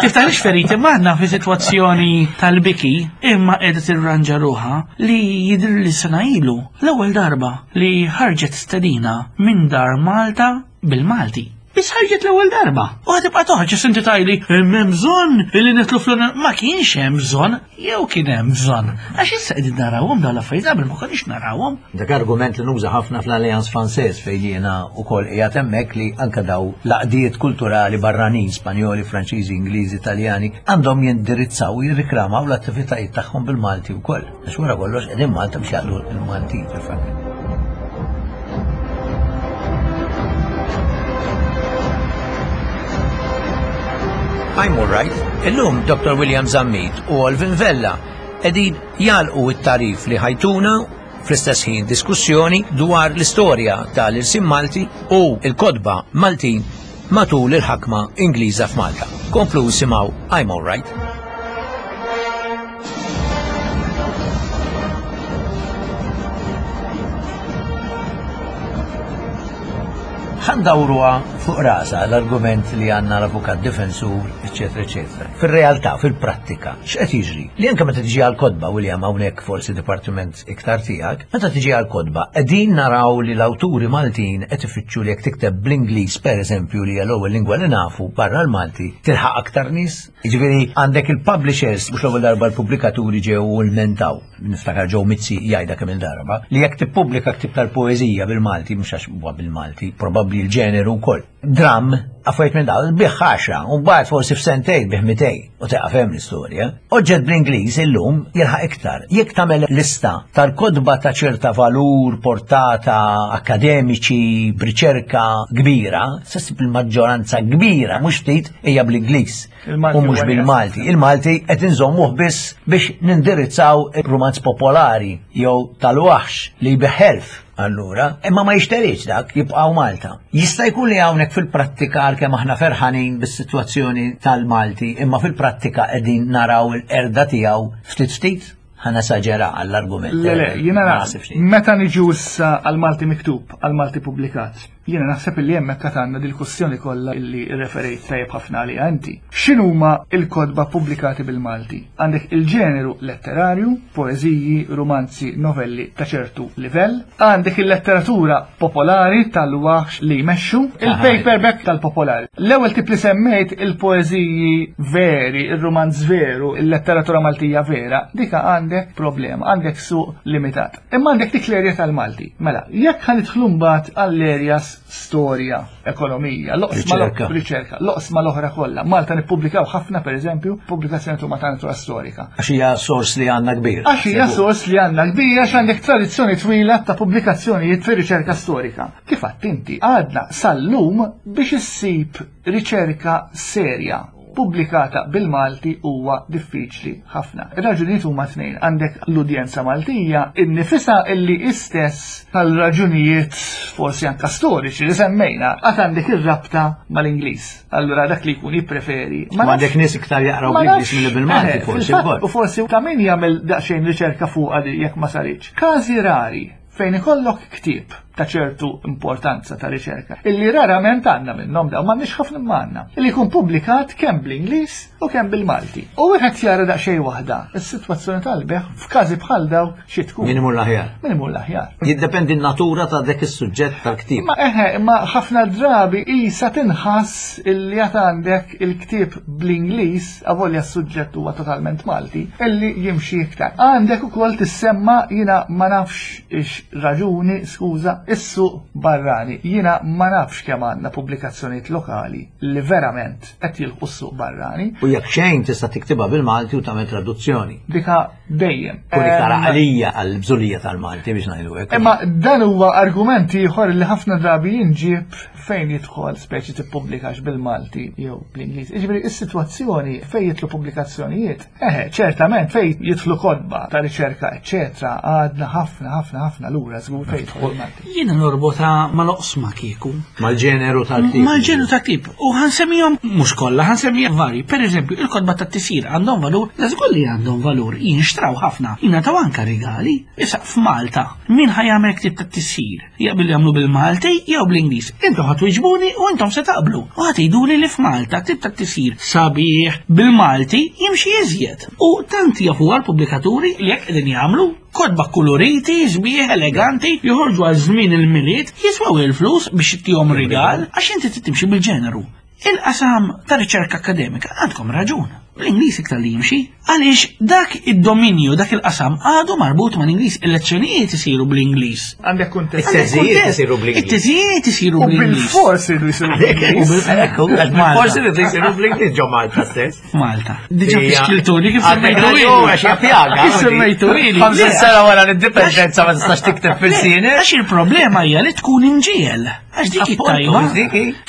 tiftaħlix feriti, maħna fi sitwazzjoni tal-biki, imma qiegħda tirranġa ruħha li jidhir li sena ilu l-ewwel darba li ħarġet stedina minn dar Malta bil-Malti. Biss ħarġet l-ewwel darba. U ħa tibqa' toħroġ issa inti tgħidli hemm bżonn li nidħlu fl Ma kienx hemm bżonn, jew kien hemm bżonn. Għax issa qegħdin narawhom dawn l-affarijiet qabel ma konniex narawhom. Dak argument li nuża ħafna fl-Alliance Française fejn jiena wkoll qiegħed hemmhekk li anke daw l-għaqdiet kulturali barranin, Spanjoli, Franċiżi, Ingliżi, Taljani, għandhom jindirizzaw u jirriklamaw l-attivitajiet tagħhom bil-Malti wkoll. Għax wara kollox qegħdin Malta biex jaqdu l-Maltin fil-fatt. I'm all right. Illum Dr. William Zammit u Olvin Vella qegħdin jagħlqu t-tarif li ħajtuna fl-istess ħin diskussjoni dwar l-istorja tal-irsim Malti u l-kotba Maltin matul il-ħakma Ingliża f'Malta. Komplu simgħu I'm all right. Ħandawruha fuq rasa l-argument li għandna l-avukat difensur, eċetera, eċetera. Fir-realtà, fil-prattika, x'qed jiġri? Li anke meta tiġi għal-kotba, William, hawnhekk forsi dipartiment iktar tiegħek, meta tiġi għal-kotba, qegħdin naraw li l-awturi Maltin qed ifittxu li jekk tikteb bl-Ingliż pereżempju li hija l-ewwel lingwa li nafu barra l-Malti, tilħaq aktar nies? Jiġifieri għandek il-publishers, mhux l-ewwel darba l-pubblikaturi ġew u lmentaw, niftakar Joe Mizzi jgħidha kemm il-darba, li jekk tippubblika ktieb tal-poeżija bil-Malti, mhux għax huwa bil-Malti, probabbli l-ġeneru wkoll. Dramm, affarijiet minn dawn, bih għaxra, u mbagħad forsi f'sentejn bih 200, u tieqaf hemm l-istorja. Oġġett bl-Ingliż illum jilħaq iktar. Jekk tagħmel lista tal-kotba ta' ċerta valur, portata, akkademiċi, b'riċerka kbira, se ssib il-maġġoranza kbira, mhux ftit, hija bl-Ingliż u mhux bil-Malti. Il-Malti qed inżommuh biss biex nindirizzaw rumanz popolari jew tal-waħx li jbigħ elf allura, imma ma jixterix dak jibqgħu Malta. Jista' jkun li hawnhekk fil-prattika għalkemm aħna ferħanin bis-sitwazzjoni tal-Malti, imma fil-prattika qegħdin naraw il-qerda tiegħu ftit ftit? Ħa nesaġera għall-argument. Le, le, jiena meta niġu issa għall-Malti miktub, għall-Malti pubblikat, Jiena naħseb illi hemmhekk għad għandna dil-kwestjoni kollha illi rreferejt tajjeb ħafna għaliha inti. X'inhuma l-kotba ppubblikati bil-Malti? Għandek il-ġeneru letterarju, poeżiji, rumanzi, novelli ta' ċertu livell. Għandek il-letteratura popolari tal-waħx li jmexxu, il-paperback tal-popolari. L-ewwel tip li semmejt il-poeżiji veri, ir-rumanz veru, il-letteratura Maltija vera, dika għandek problema, għandek suq limitat. Imma għandek dik l-erja tal-Malti. Mela, jekk ħa nidħlu mbagħad għall-erjas storja, ekonomija, loqsma riċerka, loqsma l-oħra kollha. Malta nippubblikaw ħafna pereżempju pubblikazzjoni huma ta' natura storika. Għax hija sors li għandna kbir. Għax hija sors li għandna kbir għax għandek tradizzjoni twila ta' pubblikazzjonijiet fir-riċerka storika. Kif għadt inti, għadna sal-lum biex issib riċerka serja pubblikata bil-Malti huwa diffiċli ħafna. Ir-raġunijiet huma tnejn. Għandek l-udjenza Maltija innifisha illi istess tal-raġunijiet forsi anka storiċi li semmejna, għad għandek ir-rabta mal-Ingliż. Allura dak li jkun jippreferi. Ma għandek nies iktar jaqraw bl-Ingliż milli bil-Malti eh, forsi wkoll. U forsi ta' min jagħmel daqsxejn riċerka fuqha jekk ma saritx. Każi rari fejn ikollok ktieb ta' ċertu importanza ta' riċerka, illi rarament għandna minnhom dawn m'għandniex ħafna imma għandna, illi jkun pubblikat kemm bl-Ingliż u kemm bil-Malti. U wieħed jara daqsxejn waħda is-sitwazzjoni tal-bejgħ f'każi bħal dawk xi tkun. Min imur l-aħjar. Min imur l-aħjar. Jiddependi n-natura ta' dak is-suġġett tal-ktieb. Ma eħe, imma ħafna drabi isa tinħass illi għad għandek il-ktieb bl-Ingliż, avolja s-suġġett huwa totalment Malti, illi jimxi iktar. Għandek ukoll tissemma jiena ma nafx ix raġuni, skuża, is-suq barrani. Jiena ma nafx kemm għandna pubblikazzjonijiet lokali li verament qed jilħqu s-suq barrani. U jekk xejn tista' tiktibha bil-Malti u tagħmel traduzzjoni. Dika dejjem. Kun iktar għalija għall-bżulija tal-Malti biex ngħidu hekk. Imma dan huwa argument ieħor li ħafna drabi jinġieb fejn jidħol speċi tippubblikax bil-Malti jew bl-Ingliż. Jiġifieri is-sitwazzjoni fejn jidħlu pubblikazzjonijiet, eħe, ċertament fejn jidħlu kotba ta' riċerka, eċċetera, għadna ħafna ħafna ħafna lura żgur fejn jidħol il-Malti. Jiena norbotha mal-oqsma kieku. Mal-ġeneru tal-ktieb. Mal-ġeneru tal-ktieb. U ħansemmihom mhux kollha, ħansemmihom vari. Per eżempju, il-kotba tat-tisjir għandhom valur, la żgur li għandhom valur, jinxtraw ħafna, jingħataw anke rigali. Issa f'Malta, min ħa jagħmel ktieb tat-tisjir? Jaqbel jagħmlu bil-Malti jew bl-Ingliż? Intom ħa twiġbuni u intom se taqblu. U ħa tgħiduli li f'Malta ktieb tat-tisjir sabiħ bil-Malti jimxi iżjed. U tant jafuha l-pubblikaturi li hekk qegħdin jagħmlu. Kotba kkuluriti, sbieħ, eleganti, joħorġu għal żmien il-Milied, jiswew il-flus biex ittihom rigal, għax inti trid timxi bil-ġeneru. Il-qasam ta' riċerka akkademika għandkom raġun. Bl-Ingliż iktar li jimxi, għaliex dak id-dominju, dak il-qasam għadu marbut mal-Ingliż, il-lezzjonijiet isiru bl-Ingliż. Għandek kuntest. It-teżijiet isiru bl-Ingliż. It-teżijiet isiru U bl-Ingliż. bil-fors iridu jsiru bl-Ingliż. Forsi rridu jsiru bl-Ingliż ġo Malta stess. Malta. Diġa fiskiltuni kif semmejtu ili. Għax pjaga. Kif semmejtu ili. 50 sena wara l-indipendenza ma tistax tikteb fil-sini. Għax il-problema hija li tkun inġiel. Għax dik it-tajba.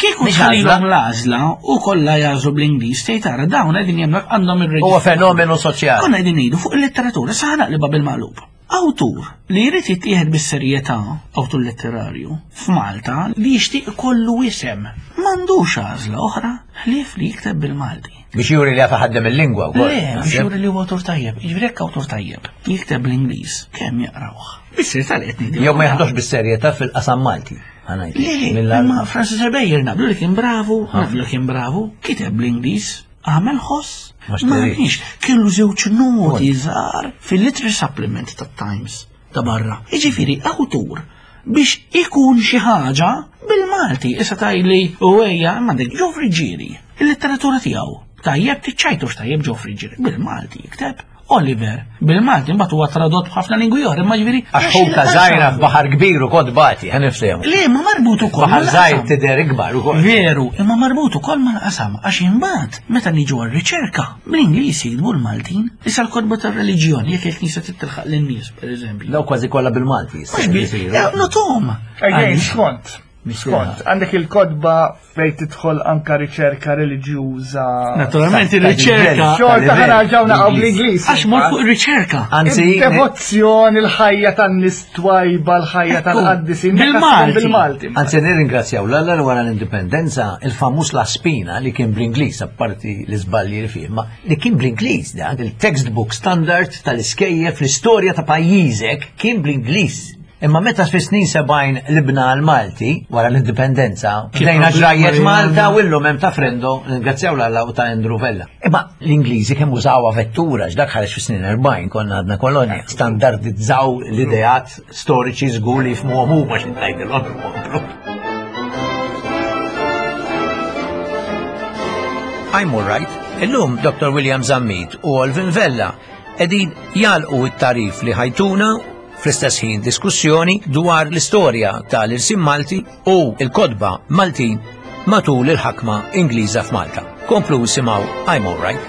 Kieku tħallilhom l-għażla u kollha jażlu bl-Ingliż tgħid tara dawn qegħdin jemmhekk għandhom ir-reġistru. Huwa fenomenu soċjali. Konna qegħdin ngħidu fuq il-letteratura sa naqlibha bil-maqlub. Awtur li jrid jittieħed bis-serjetà, awtur letterarju, f'Malta li jixtieq ikollu isem, m'għandux għażla oħra ħlief li jikteb bil-Malti. Biex juri li jaf iħaddem il-lingwa wkoll. Le, biex juri li huwa awtur tajjeb. Jiġifieri jekk awtur tajjeb jikteb bl-Ingliż, kemm jaqrawh? Bis-serjetà li qed ngħid. Jew ma jaħdux bis-serjetà fil-qasam Malti. Le, le, imma Francis Ebejer naqblu li kien bravu, naqblu li kien bravu, kiteb bl-Ingliż, Għamel ħoss? Ma kienx, kellu żewġ noti żgħar fil-Literary Supplement tat-Times ta' barra. Jiġifieri awtur biex ikun xi ħaġa bil-Malti, issa tajli u ejja għandek Ġo Friggieri, il-letteratura tiegħu. Tajjeb tiċċajtu x'tajjeb Ġo Friggieri bil-Malti jikteb. Oliver, bil-Malti mbagħad huwa tradott b'ħafna lingwi oħra, imma ġifieri. Għax ħuta żgħira f'baħar kbir u kod bati, ħa niftehmu. Le, ma marbut ukoll. Baħar żgħir tidher ikbar ukoll. Veru, imma marbut ukoll mal-qasam għax imbagħad meta niġu għar-riċerka, bl-Ingliż jiktbu l-Maltin, issa l-kotba tar-reliġjon jekk il-Knisja trid tilħaq lin-nies, pereżempju. Daw kważi kollha bil-Malti. Mhux bil, notom. Again, skont. Skont, għandek il-kodba fej tidħol anka riċerka reliġjuża. Naturalment ir-riċerka. Xorta ħanarġaw naqgħu bl-Ingliż. Għax mor fuq ir-riċerka. Anzi, devozzjoni l-ħajja tan-nies twajba, l-ħajja tal-qaddisin. Bil-Malti. Bil-Malti. Anzi, nirringrazzjaw l-Alla li wara l-indipendenza il-famuż La Spina li kien bl-Ingliż apparti l-iżbalji li fih, ma li kien bl-Ingliż dak il-textbook standard tal-iskejjel fl-istorja ta' pajjiżek kien bl-Ingliż. Imma meta fis-snin 70 libna għal-Malti, wara l-indipendenza, bdejna ġrajjet Malta u illum hemm ta' Frendo, ringrazzjaw l-Alla u ta' Andrew Vella. Imma l-Ingliżi kemm użawha vettura, x'dak ħareġ fis-snin 40 konna għadna kolonja, standardizzaw l-ideat storiċi żgur li jifhmuhom huma xi tgħidilhom ikomplu. I'm all right. Illum Dr. William Zammit u Olvin Vella qegħdin jagħlqu t-tagħrif li ħajtuna fl-istess ħin diskussjoni dwar l-istorja tal-irsim Malti u l-kotba Maltin matul il-ħakma Ingliża f'Malta. Komplu simgħu I'm All Right.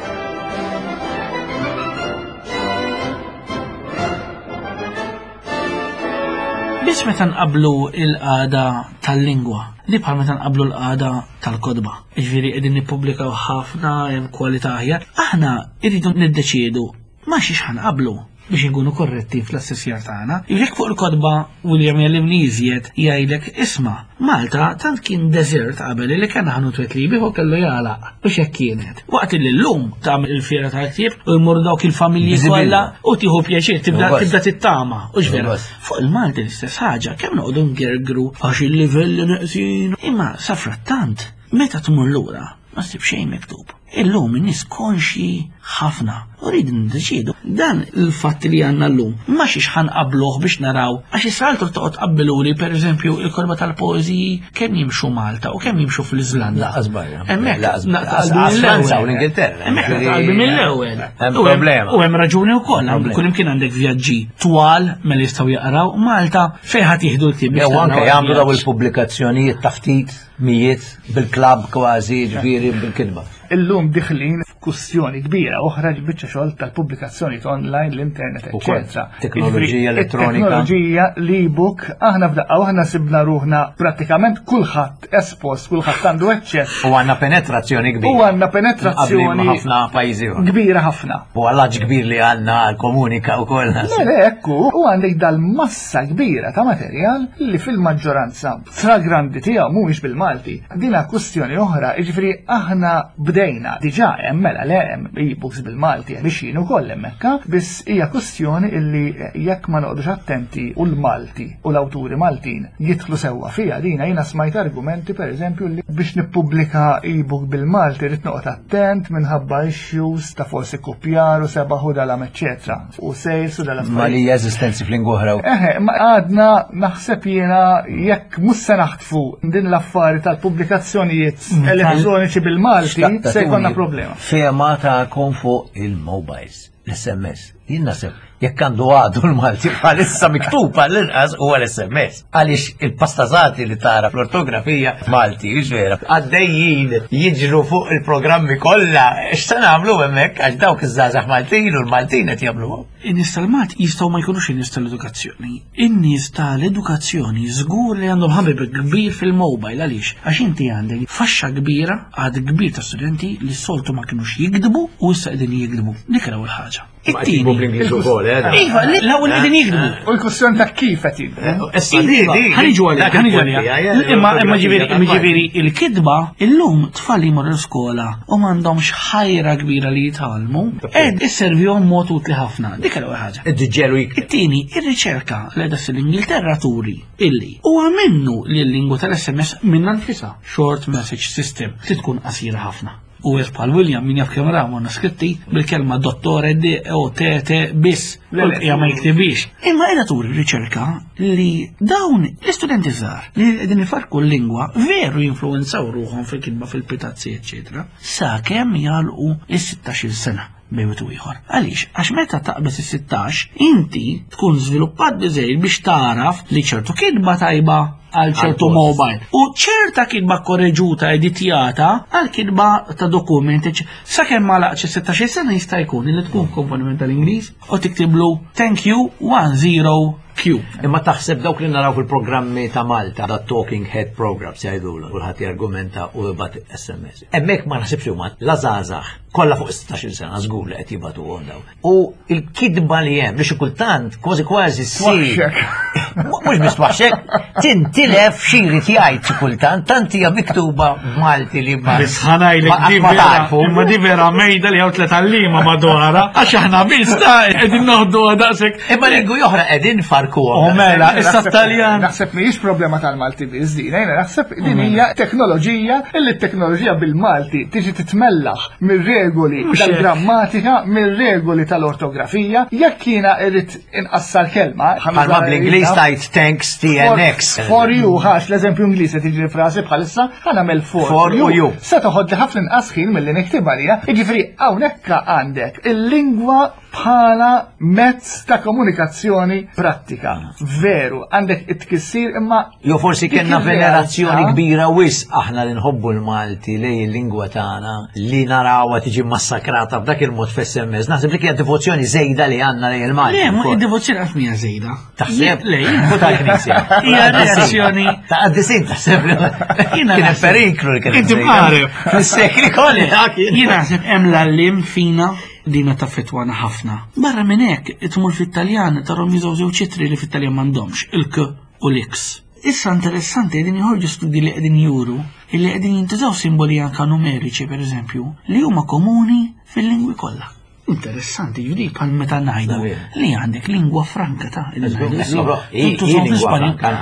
Biss meta nqablu il-qagħda tal-lingwa, li bħal meta nqablu l-qagħda tal-kotba. Jiġifieri qegħdin nippubblikaw ħafna hemm kwalità aħjar. Aħna rridu niddeċiedu ma' xiex ħanqablu. Biex inkunu korretti fl-assessjar tagħna. Jekk fuq il-kotba William jellimni iżjed jgħidlek isma' Malta tant kien desert qabel li kien ħanut wieħed li jbigħu kellu jagħlaq biex hekk kienet. Waqt li llum tagħmel il-fiera tal-ktieb u jmur dawk il-familji kollha u tieħu pjaċir tibda tibda tittama. U vera. Fuq il-Malti l-istess ħaġa, kemm noqogħdu ngergru għax il-livelli neqsin. Imma safrattant, meta tmur lura, ma ssib xejn miktub. Illum in-nies konxji ħafna u rridu niddeċiedu. Dan il-fatt li għandna llum ma xiex ħanqabluh biex naraw għax issa altru toqgħod tqabbiluli pereżempju il-korba tal-poeżiji kemm jimxu Malta u kemm jimxu fl-Iżlanda. Laqas barra. Hemmhekk Laqas Franza u l-Ingilterra. Hemmhekk qalbi mill-ewwel. Hemm problema. U hemm raġuni wkoll, kull imkien għandek vjaġġi twal mela jistgħu jaqraw Malta fejn ħadd jieħdu l-ktieb. Jew anke jagħmlu daw il-pubblikazzjonijiet ta' ftit mijiet bil-klabb kważi ġifieri bil-kitba. Illum diħlin f'kwistjoni kbira oħra li biċċa xogħol tal-pubblikazzjoni online, l-internet, eċetera. Teknoloġija elettronika. Teknoloġija, l-e-book, aħna f'daqqa waħda sibna ruħna prattikament kulħadd espost, kulħadd għandu aċċess. U għandna penetrazzjoni kbira. U għandna penetrazzjoni ħafna pajjiżi. Kbira ħafna. U għallaġ kbir li għandna komunika u koll. Le, le, ekku, u għandek dal-massa kbira ta' materjal li fil-maġġoranza Stragrandi tiegħu mhuwiex bil-Malti. Dina kwistjoni oħra, jiġifieri aħna bdejna diġà hemm mela le hemm e-books bil-Malti hemm biex ukoll hemmhekk, biss hija kwistjoni illi jekk ma noqogħdux attenti u l-Malti u l-awturi Maltin jidħlu sewwa fiha dina jiena smajt argumenti pereżempju li biex nippubblika e-book bil-Malti rrid noqgħod attent minħabba issues ta' forsi kopjar u sebaħ u dalam eċċetera. U sales u dalam. Ma li eżistenzi f'lingwa oħra. Eħe, ma għadna naħseb jiena jekk mhux se naħtfu din l-affari tal-pubblikazzjonijiet elettroniċi bil-Malti se jkollna problema. Fema tagħkom fuq il-mobiles, l-SMS. Jien naħseb jekk għandu għadu l-Malti bħalissa miktub għall-inqas huwa l-SMS. Għaliex il-pastazati li tara fl-ortografija Malti, vera, għaddejjin jiġru fuq il-programmi kollha. X'se nagħmlu hemmhekk għax dawk iż-żgħażagħ Maltin u l-Maltin qed jagħmluhom. In-nies tal-Malti jistgħu ma jkunux in-nies tal-edukazzjoni. In-nies tal-edukazzjoni żgur li għandhom ħabib kbir fil-mobile għaliex għax inti għandek faxxa kbira għad kbir ta' studenti li s-soltu ma kinux jikdbu u issa qegħdin jikdbu. Dik l-ewwel ħaġa. It-tieni. bl-Ingliż ukoll, eh? Iva, l-ewwel qegħdin jikdbu. U l-kwestjoni ta' kif qed jikdbu. Issa di, di. Ħaniġu għalija, ħaniġu għalija. Imma imma ġifieri imma ġifieri il-kitba illum tfal jmorru l-iskola u m'għandhomx ħajra kbira li jitgħallmu, qed isservihom mod utli ħafna. Dik l-ewwel ħaġa. Id-ġelu jikdeb. It-tieni, ir-riċerka li qiegħda ssir l-Ingilterra turi illi huwa minnu li l-lingwa tal-SMS minnha nfisha, short message system, trid tkun qasira ħafna. U wieħed bħal William min jaf kemm ra manuskritti bil-kelma dottore D O T T biss u l-bqija ma jiktibix. Imma qiegħda turi riċerka li dawn l-istudenti żgħar li qegħdin ifarku l-lingwa veru jinfluwenzaw ruħhom fil-kitba fil-pitazzi eċċetera sakemm jagħlqu is-16-il sena bejn wieħed u ieħor. Għaliex? Għax meta taqbeż is-16 inti tkun żviluppat biżejjed biex tagħraf li ċertu kitba tajba għal ċertu mobile u ċerta kitba korreġuta editjata għal kitba ta' dokument sakemm ma laqx 16 sena jista' jkun li tkun komponiment tal-Ingliż u tiktiblu thank you 10 Q. Imma taħseb dawk li naraw fil-programmi ta' Malta, da talking head programs jgħidulu, kulħadd jargumenta u jibgħat SMS. Hemmhekk ma naħsibx li huma la żgħażagħ kollha fuq 16 sena żgur li qed jibgħatuhom daw. U l-kitba li hemm li xi kultant kważi kważi ssir. Mhux biss twaħxek, tintilef xi jrid jgħid xi kultant, tant hija miktuba b'Malti li ma. Biss ħanajlek di vera, imma di vera mejda li hawn tliet għalliema madwarha, għax aħna biss ta' qegħdin noħduha daqshekk. Imma lingwi oħra qegħdin farkuhom. U mela, issa Taljan. Naħseb mhijiex problema tal-Malti biss din, jiena naħseb din hija teknoloġija illi t-teknoloġija bil-Malti tiġi titmellaħ mir-regoli tal-grammatika, mir-regoli tal-ortografija, jekk jiena irrid inqassar kelma. Bħalma bl-Ingliż tajt thanks TNX. For you, ħax l-eżempju Ingliż qed tiġi frasi bħalissa, ħa nagħmel for you. Se toħodli ħafna inqas ħin milli niktibha lija, jiġifieri hawnhekk għandek il-lingwa bħala mezz ta' komunikazzjoni prattika. Veru, għandek it-tkissir imma. Jo forsi kellna venerazzjoni kbira wis aħna li nħobbu l-Malti lej il-lingwa tagħna li narawha tiġi massakrata b'dak il-mod f'SMS. Naħseb li kienet devozzjoni żejda li għandna lej il-Malti. Le, ma id-devozzjoni qatt mija żejda. Taħseb? Le, tal-Knisja. Hija reazzjoni. Ta' qaddisin taħseb li kien periklu li kien. Inti mqareb. Fis-sekli kollha. Jiena naħseb hemm l-għallim fina. dina taffettwana ħafna. Barra minn hekk, tmur fit-Taljan tarhom jużaw żewġ ittri li fit-Taljan m'għandhomx, il-K u l-X. Issa interessanti qegħdin joħorġu studji li qegħdin juru illi qegħdin jintużaw simboli anka numeriċi pereżempju li huma komuni fil-lingwi kollha. Interessanti, ġudi, bħal meta ngħidu li għandek lingwa franka ta'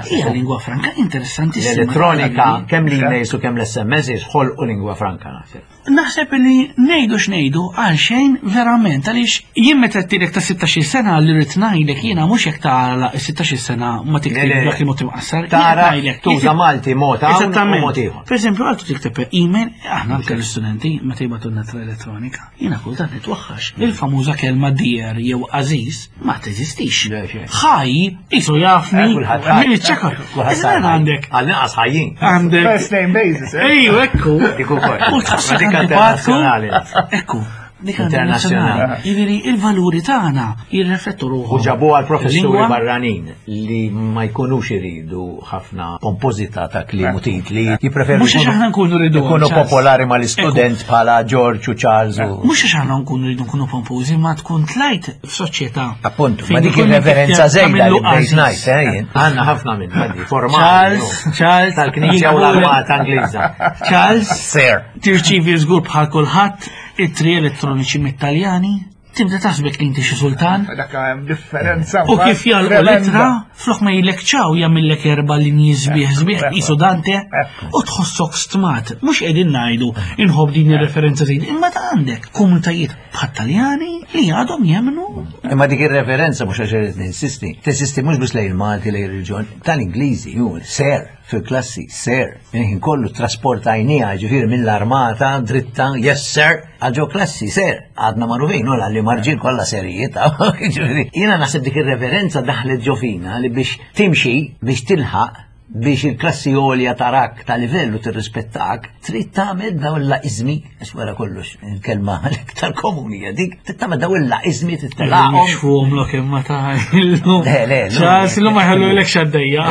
Hija lingwa franka interessantissima. L-elettronika, kemm l-emails u kemm l-SMS ħolqu lingwa franka naħseb. Naħseb li ngħidu x'ngħidu għal xejn verament għaliex jien meta tilek ta' 16 sena li rrid ngħidlek jiena mhux jekk tara 16 sena ma tiktib dak il-mod imqassar. Tara tuża Malti mod hawn u mod ieħor. Per eżempju, għaltu tikteb email, aħna anke l-istudenti meta jibgħatu n-natra elettronika, jiena kultant nitwaħħax. Il-famuża kelma dear jew aziz ma teżistix. Ħaj, isu jafni, min iċċekar. Iżda għandek. Għal-inqas ħajjin. Għandek. First name basis. Eh? Ejju, ekku. Dik ukoll. U tħossok Dik antipatku. internazzjonali. Ekku. Dik Internazzjonali. Jiġifieri il-valuri tagħna jirriflettu ruħhom. U ġabu għal professuri Il-lingwa- barranin li ma jkunux iridu ħafna pompożità ta' kliem u titli, jippreferu Mhux għax aħna nkunu rridu, ikunu Charles. popolari mal-istudent bħala George u Charles u Mhux għax aħna nkunu rridu nkunu pompużi, ma tkun tlajt f'soċjetà. Appuntu, fejn ma dik ikun ir-referenza inti żejda li tagħmillu bdejt għażiż. ngħid, eh, jien. Għandna ħafna minn għaddi, formali. Charles, no. Charles, Tal-Knisja u l-Armata Ingliża. Charles, Sir. tirċivi żgur bħal kulħadd it-tri elettroniċi mit-Taljani, tibda taħsbek li inti xi sultan. Dak hemm differenza. U kif jalqu tremenda. litra, flok ma jilek ċaw jagħmillek erba' linji sbieħ sbieħ qisu Dante Ekku. u tħossok stmat. Mhux qegħdin ngħidu inħobb din ir-referenza żejda, imma ta' għandek komunitajiet bħat-Taljani li għadhom jemnu Imma dik ir-referenza mhux għax irid ninsisti, teżisti mhux biss lejn il-Malti lejn ir-reġjon tal-Ingliżi, ju, ser fil-klassi, ser, minn kollu trasportajnija, ġifieri mill-armata dritta, yes sir, għal ġo klassi, ser, għadna magħrufin, u li marġin kollha serijiet, ġifieri. Jiena naħseb dik ir-referenza daħlet ġo fina li biex timxi, biex tilħaq, biex il-klassi għolja tarak ta' livellu tirrispettak, trid tagħmel dawn l-laqizmi, għax wara kollox il-kelma l-iktar komuni hija dik, trid tagħmel dawn il-laqizmi tittelaqhom. Jixfuhom lok imma ta' illum. Le, le, le. Charles, illum ma jħallu lek xaddejja.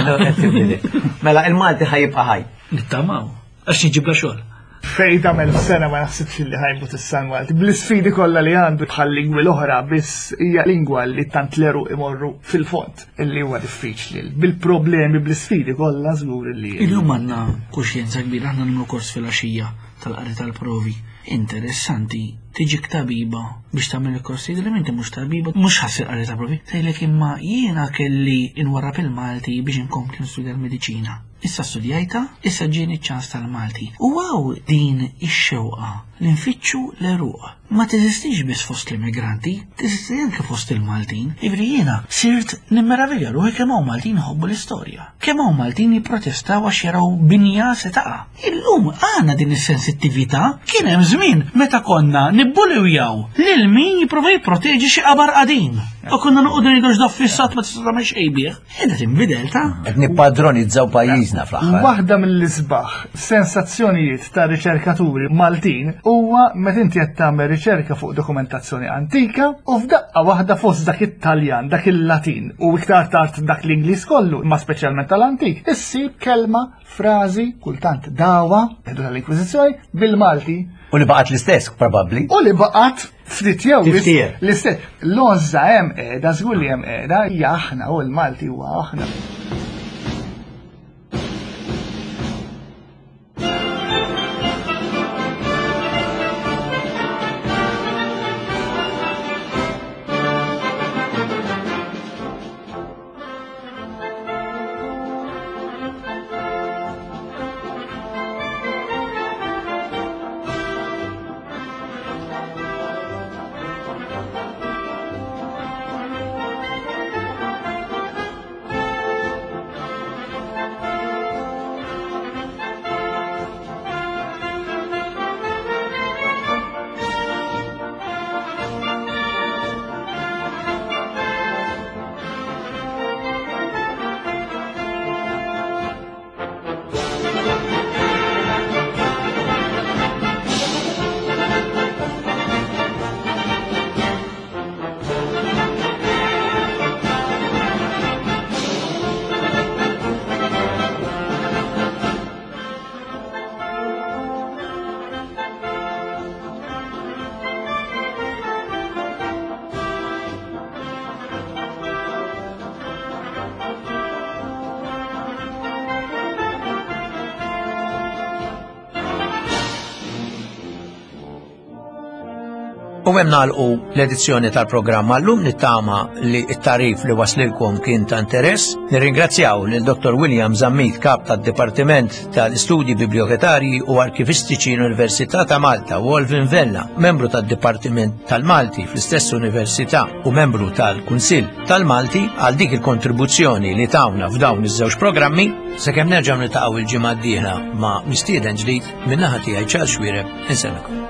Mela il-Malti ħajibqa' ħaj. Nittamaw. Għax niġibla xogħol. Fej tagħmel sena ma naħsibx li ħajmut is-San Malti. Bl-isfidi kollha li għandu bħal lingwi l-oħra biss hija lingwa li tant leru imorru fil-fond illi huwa diffiċli. Bil-problemi bl-isfidi kollha żgur li. Illum għandna kuxjenza kbira, aħna nagħmlu kors fil-għaxija tal-qari tal-provi. Interessanti, tiġik tabiba biex tagħmel il-kors li inti mhux tabiba, mhux ħassir qari tal-provi. Tgħidlek imma jiena kelli inwarrab il-Malti biex inkompli nistudja l-mediċina. Issa studjajta, issa ġieni ċ-ċans tal-Malti. U għaw din ix-xewqa li nfittxu l-eruq. Ma teżistix biss fost l-immigranti, teżisti anke fost il-Maltin. Ivri jiena sirt nimmeravilja ruħi kemm hawn Maltin jħobbu l-istorja. Kemm hawn Maltin jipprotestaw għax jaraw binja se taqa'. Illum għandna din is-sensittività kien hemm żmien meta konna nibbuliwjaw lil min jipprova jipproteġi xi qabar qadim. U konna noqogħdu ngħidu x'da ffissat ma tista' tagħmel xejn bih. Qiegħda tinbidel ta' Qed nippadronizzaw pajjiżna fl-aħħar. Waħda mill-isbaħ sensazzjonijiet ta' riċerkaturi Maltin huwa meta inti qed tagħmel riċerka fuq dokumentazzjoni antika u f'daqqa waħda fost dak it-Taljan, dak il-Latin u iktar tard dak l-Ingliż kollu, imma speċjalment tal-antik, issib kelma, frażi, kultant dawa, edu tal-Inkwiżizzjoni, bil-Malti U li baqgħet l-istess probabbli. u li baqgħet ftit jew Tiftier. l-istess. L-għożża hemm qiegħda, żgur li hemm qiegħda, hija aħna u l-Malti huwa aħna. U hemm nagħlqu l-edizzjoni tal-programm għallum nittama li t-tarif li waslilkom kien ta' interess. Nirringrazzjaw lil Dr. William Zammit, kap tad-Dipartiment tal-Istudji Bibliotekarji u Arkivistiċi l-Università ta' Malta u Olvin Vella, membru tad-Dipartiment tal-Malti fl-istess Università u membru tal-Kunsill tal-Malti għal dik il-kontribuzzjoni li tawna f'dawn iż-żewġ programmi. Sakemm nerġgħu niltaqgħu il-ġimgħa d-dieħla ma' mistieden ġdid min-naħa tiegħi Charles Xuereb insellmikom.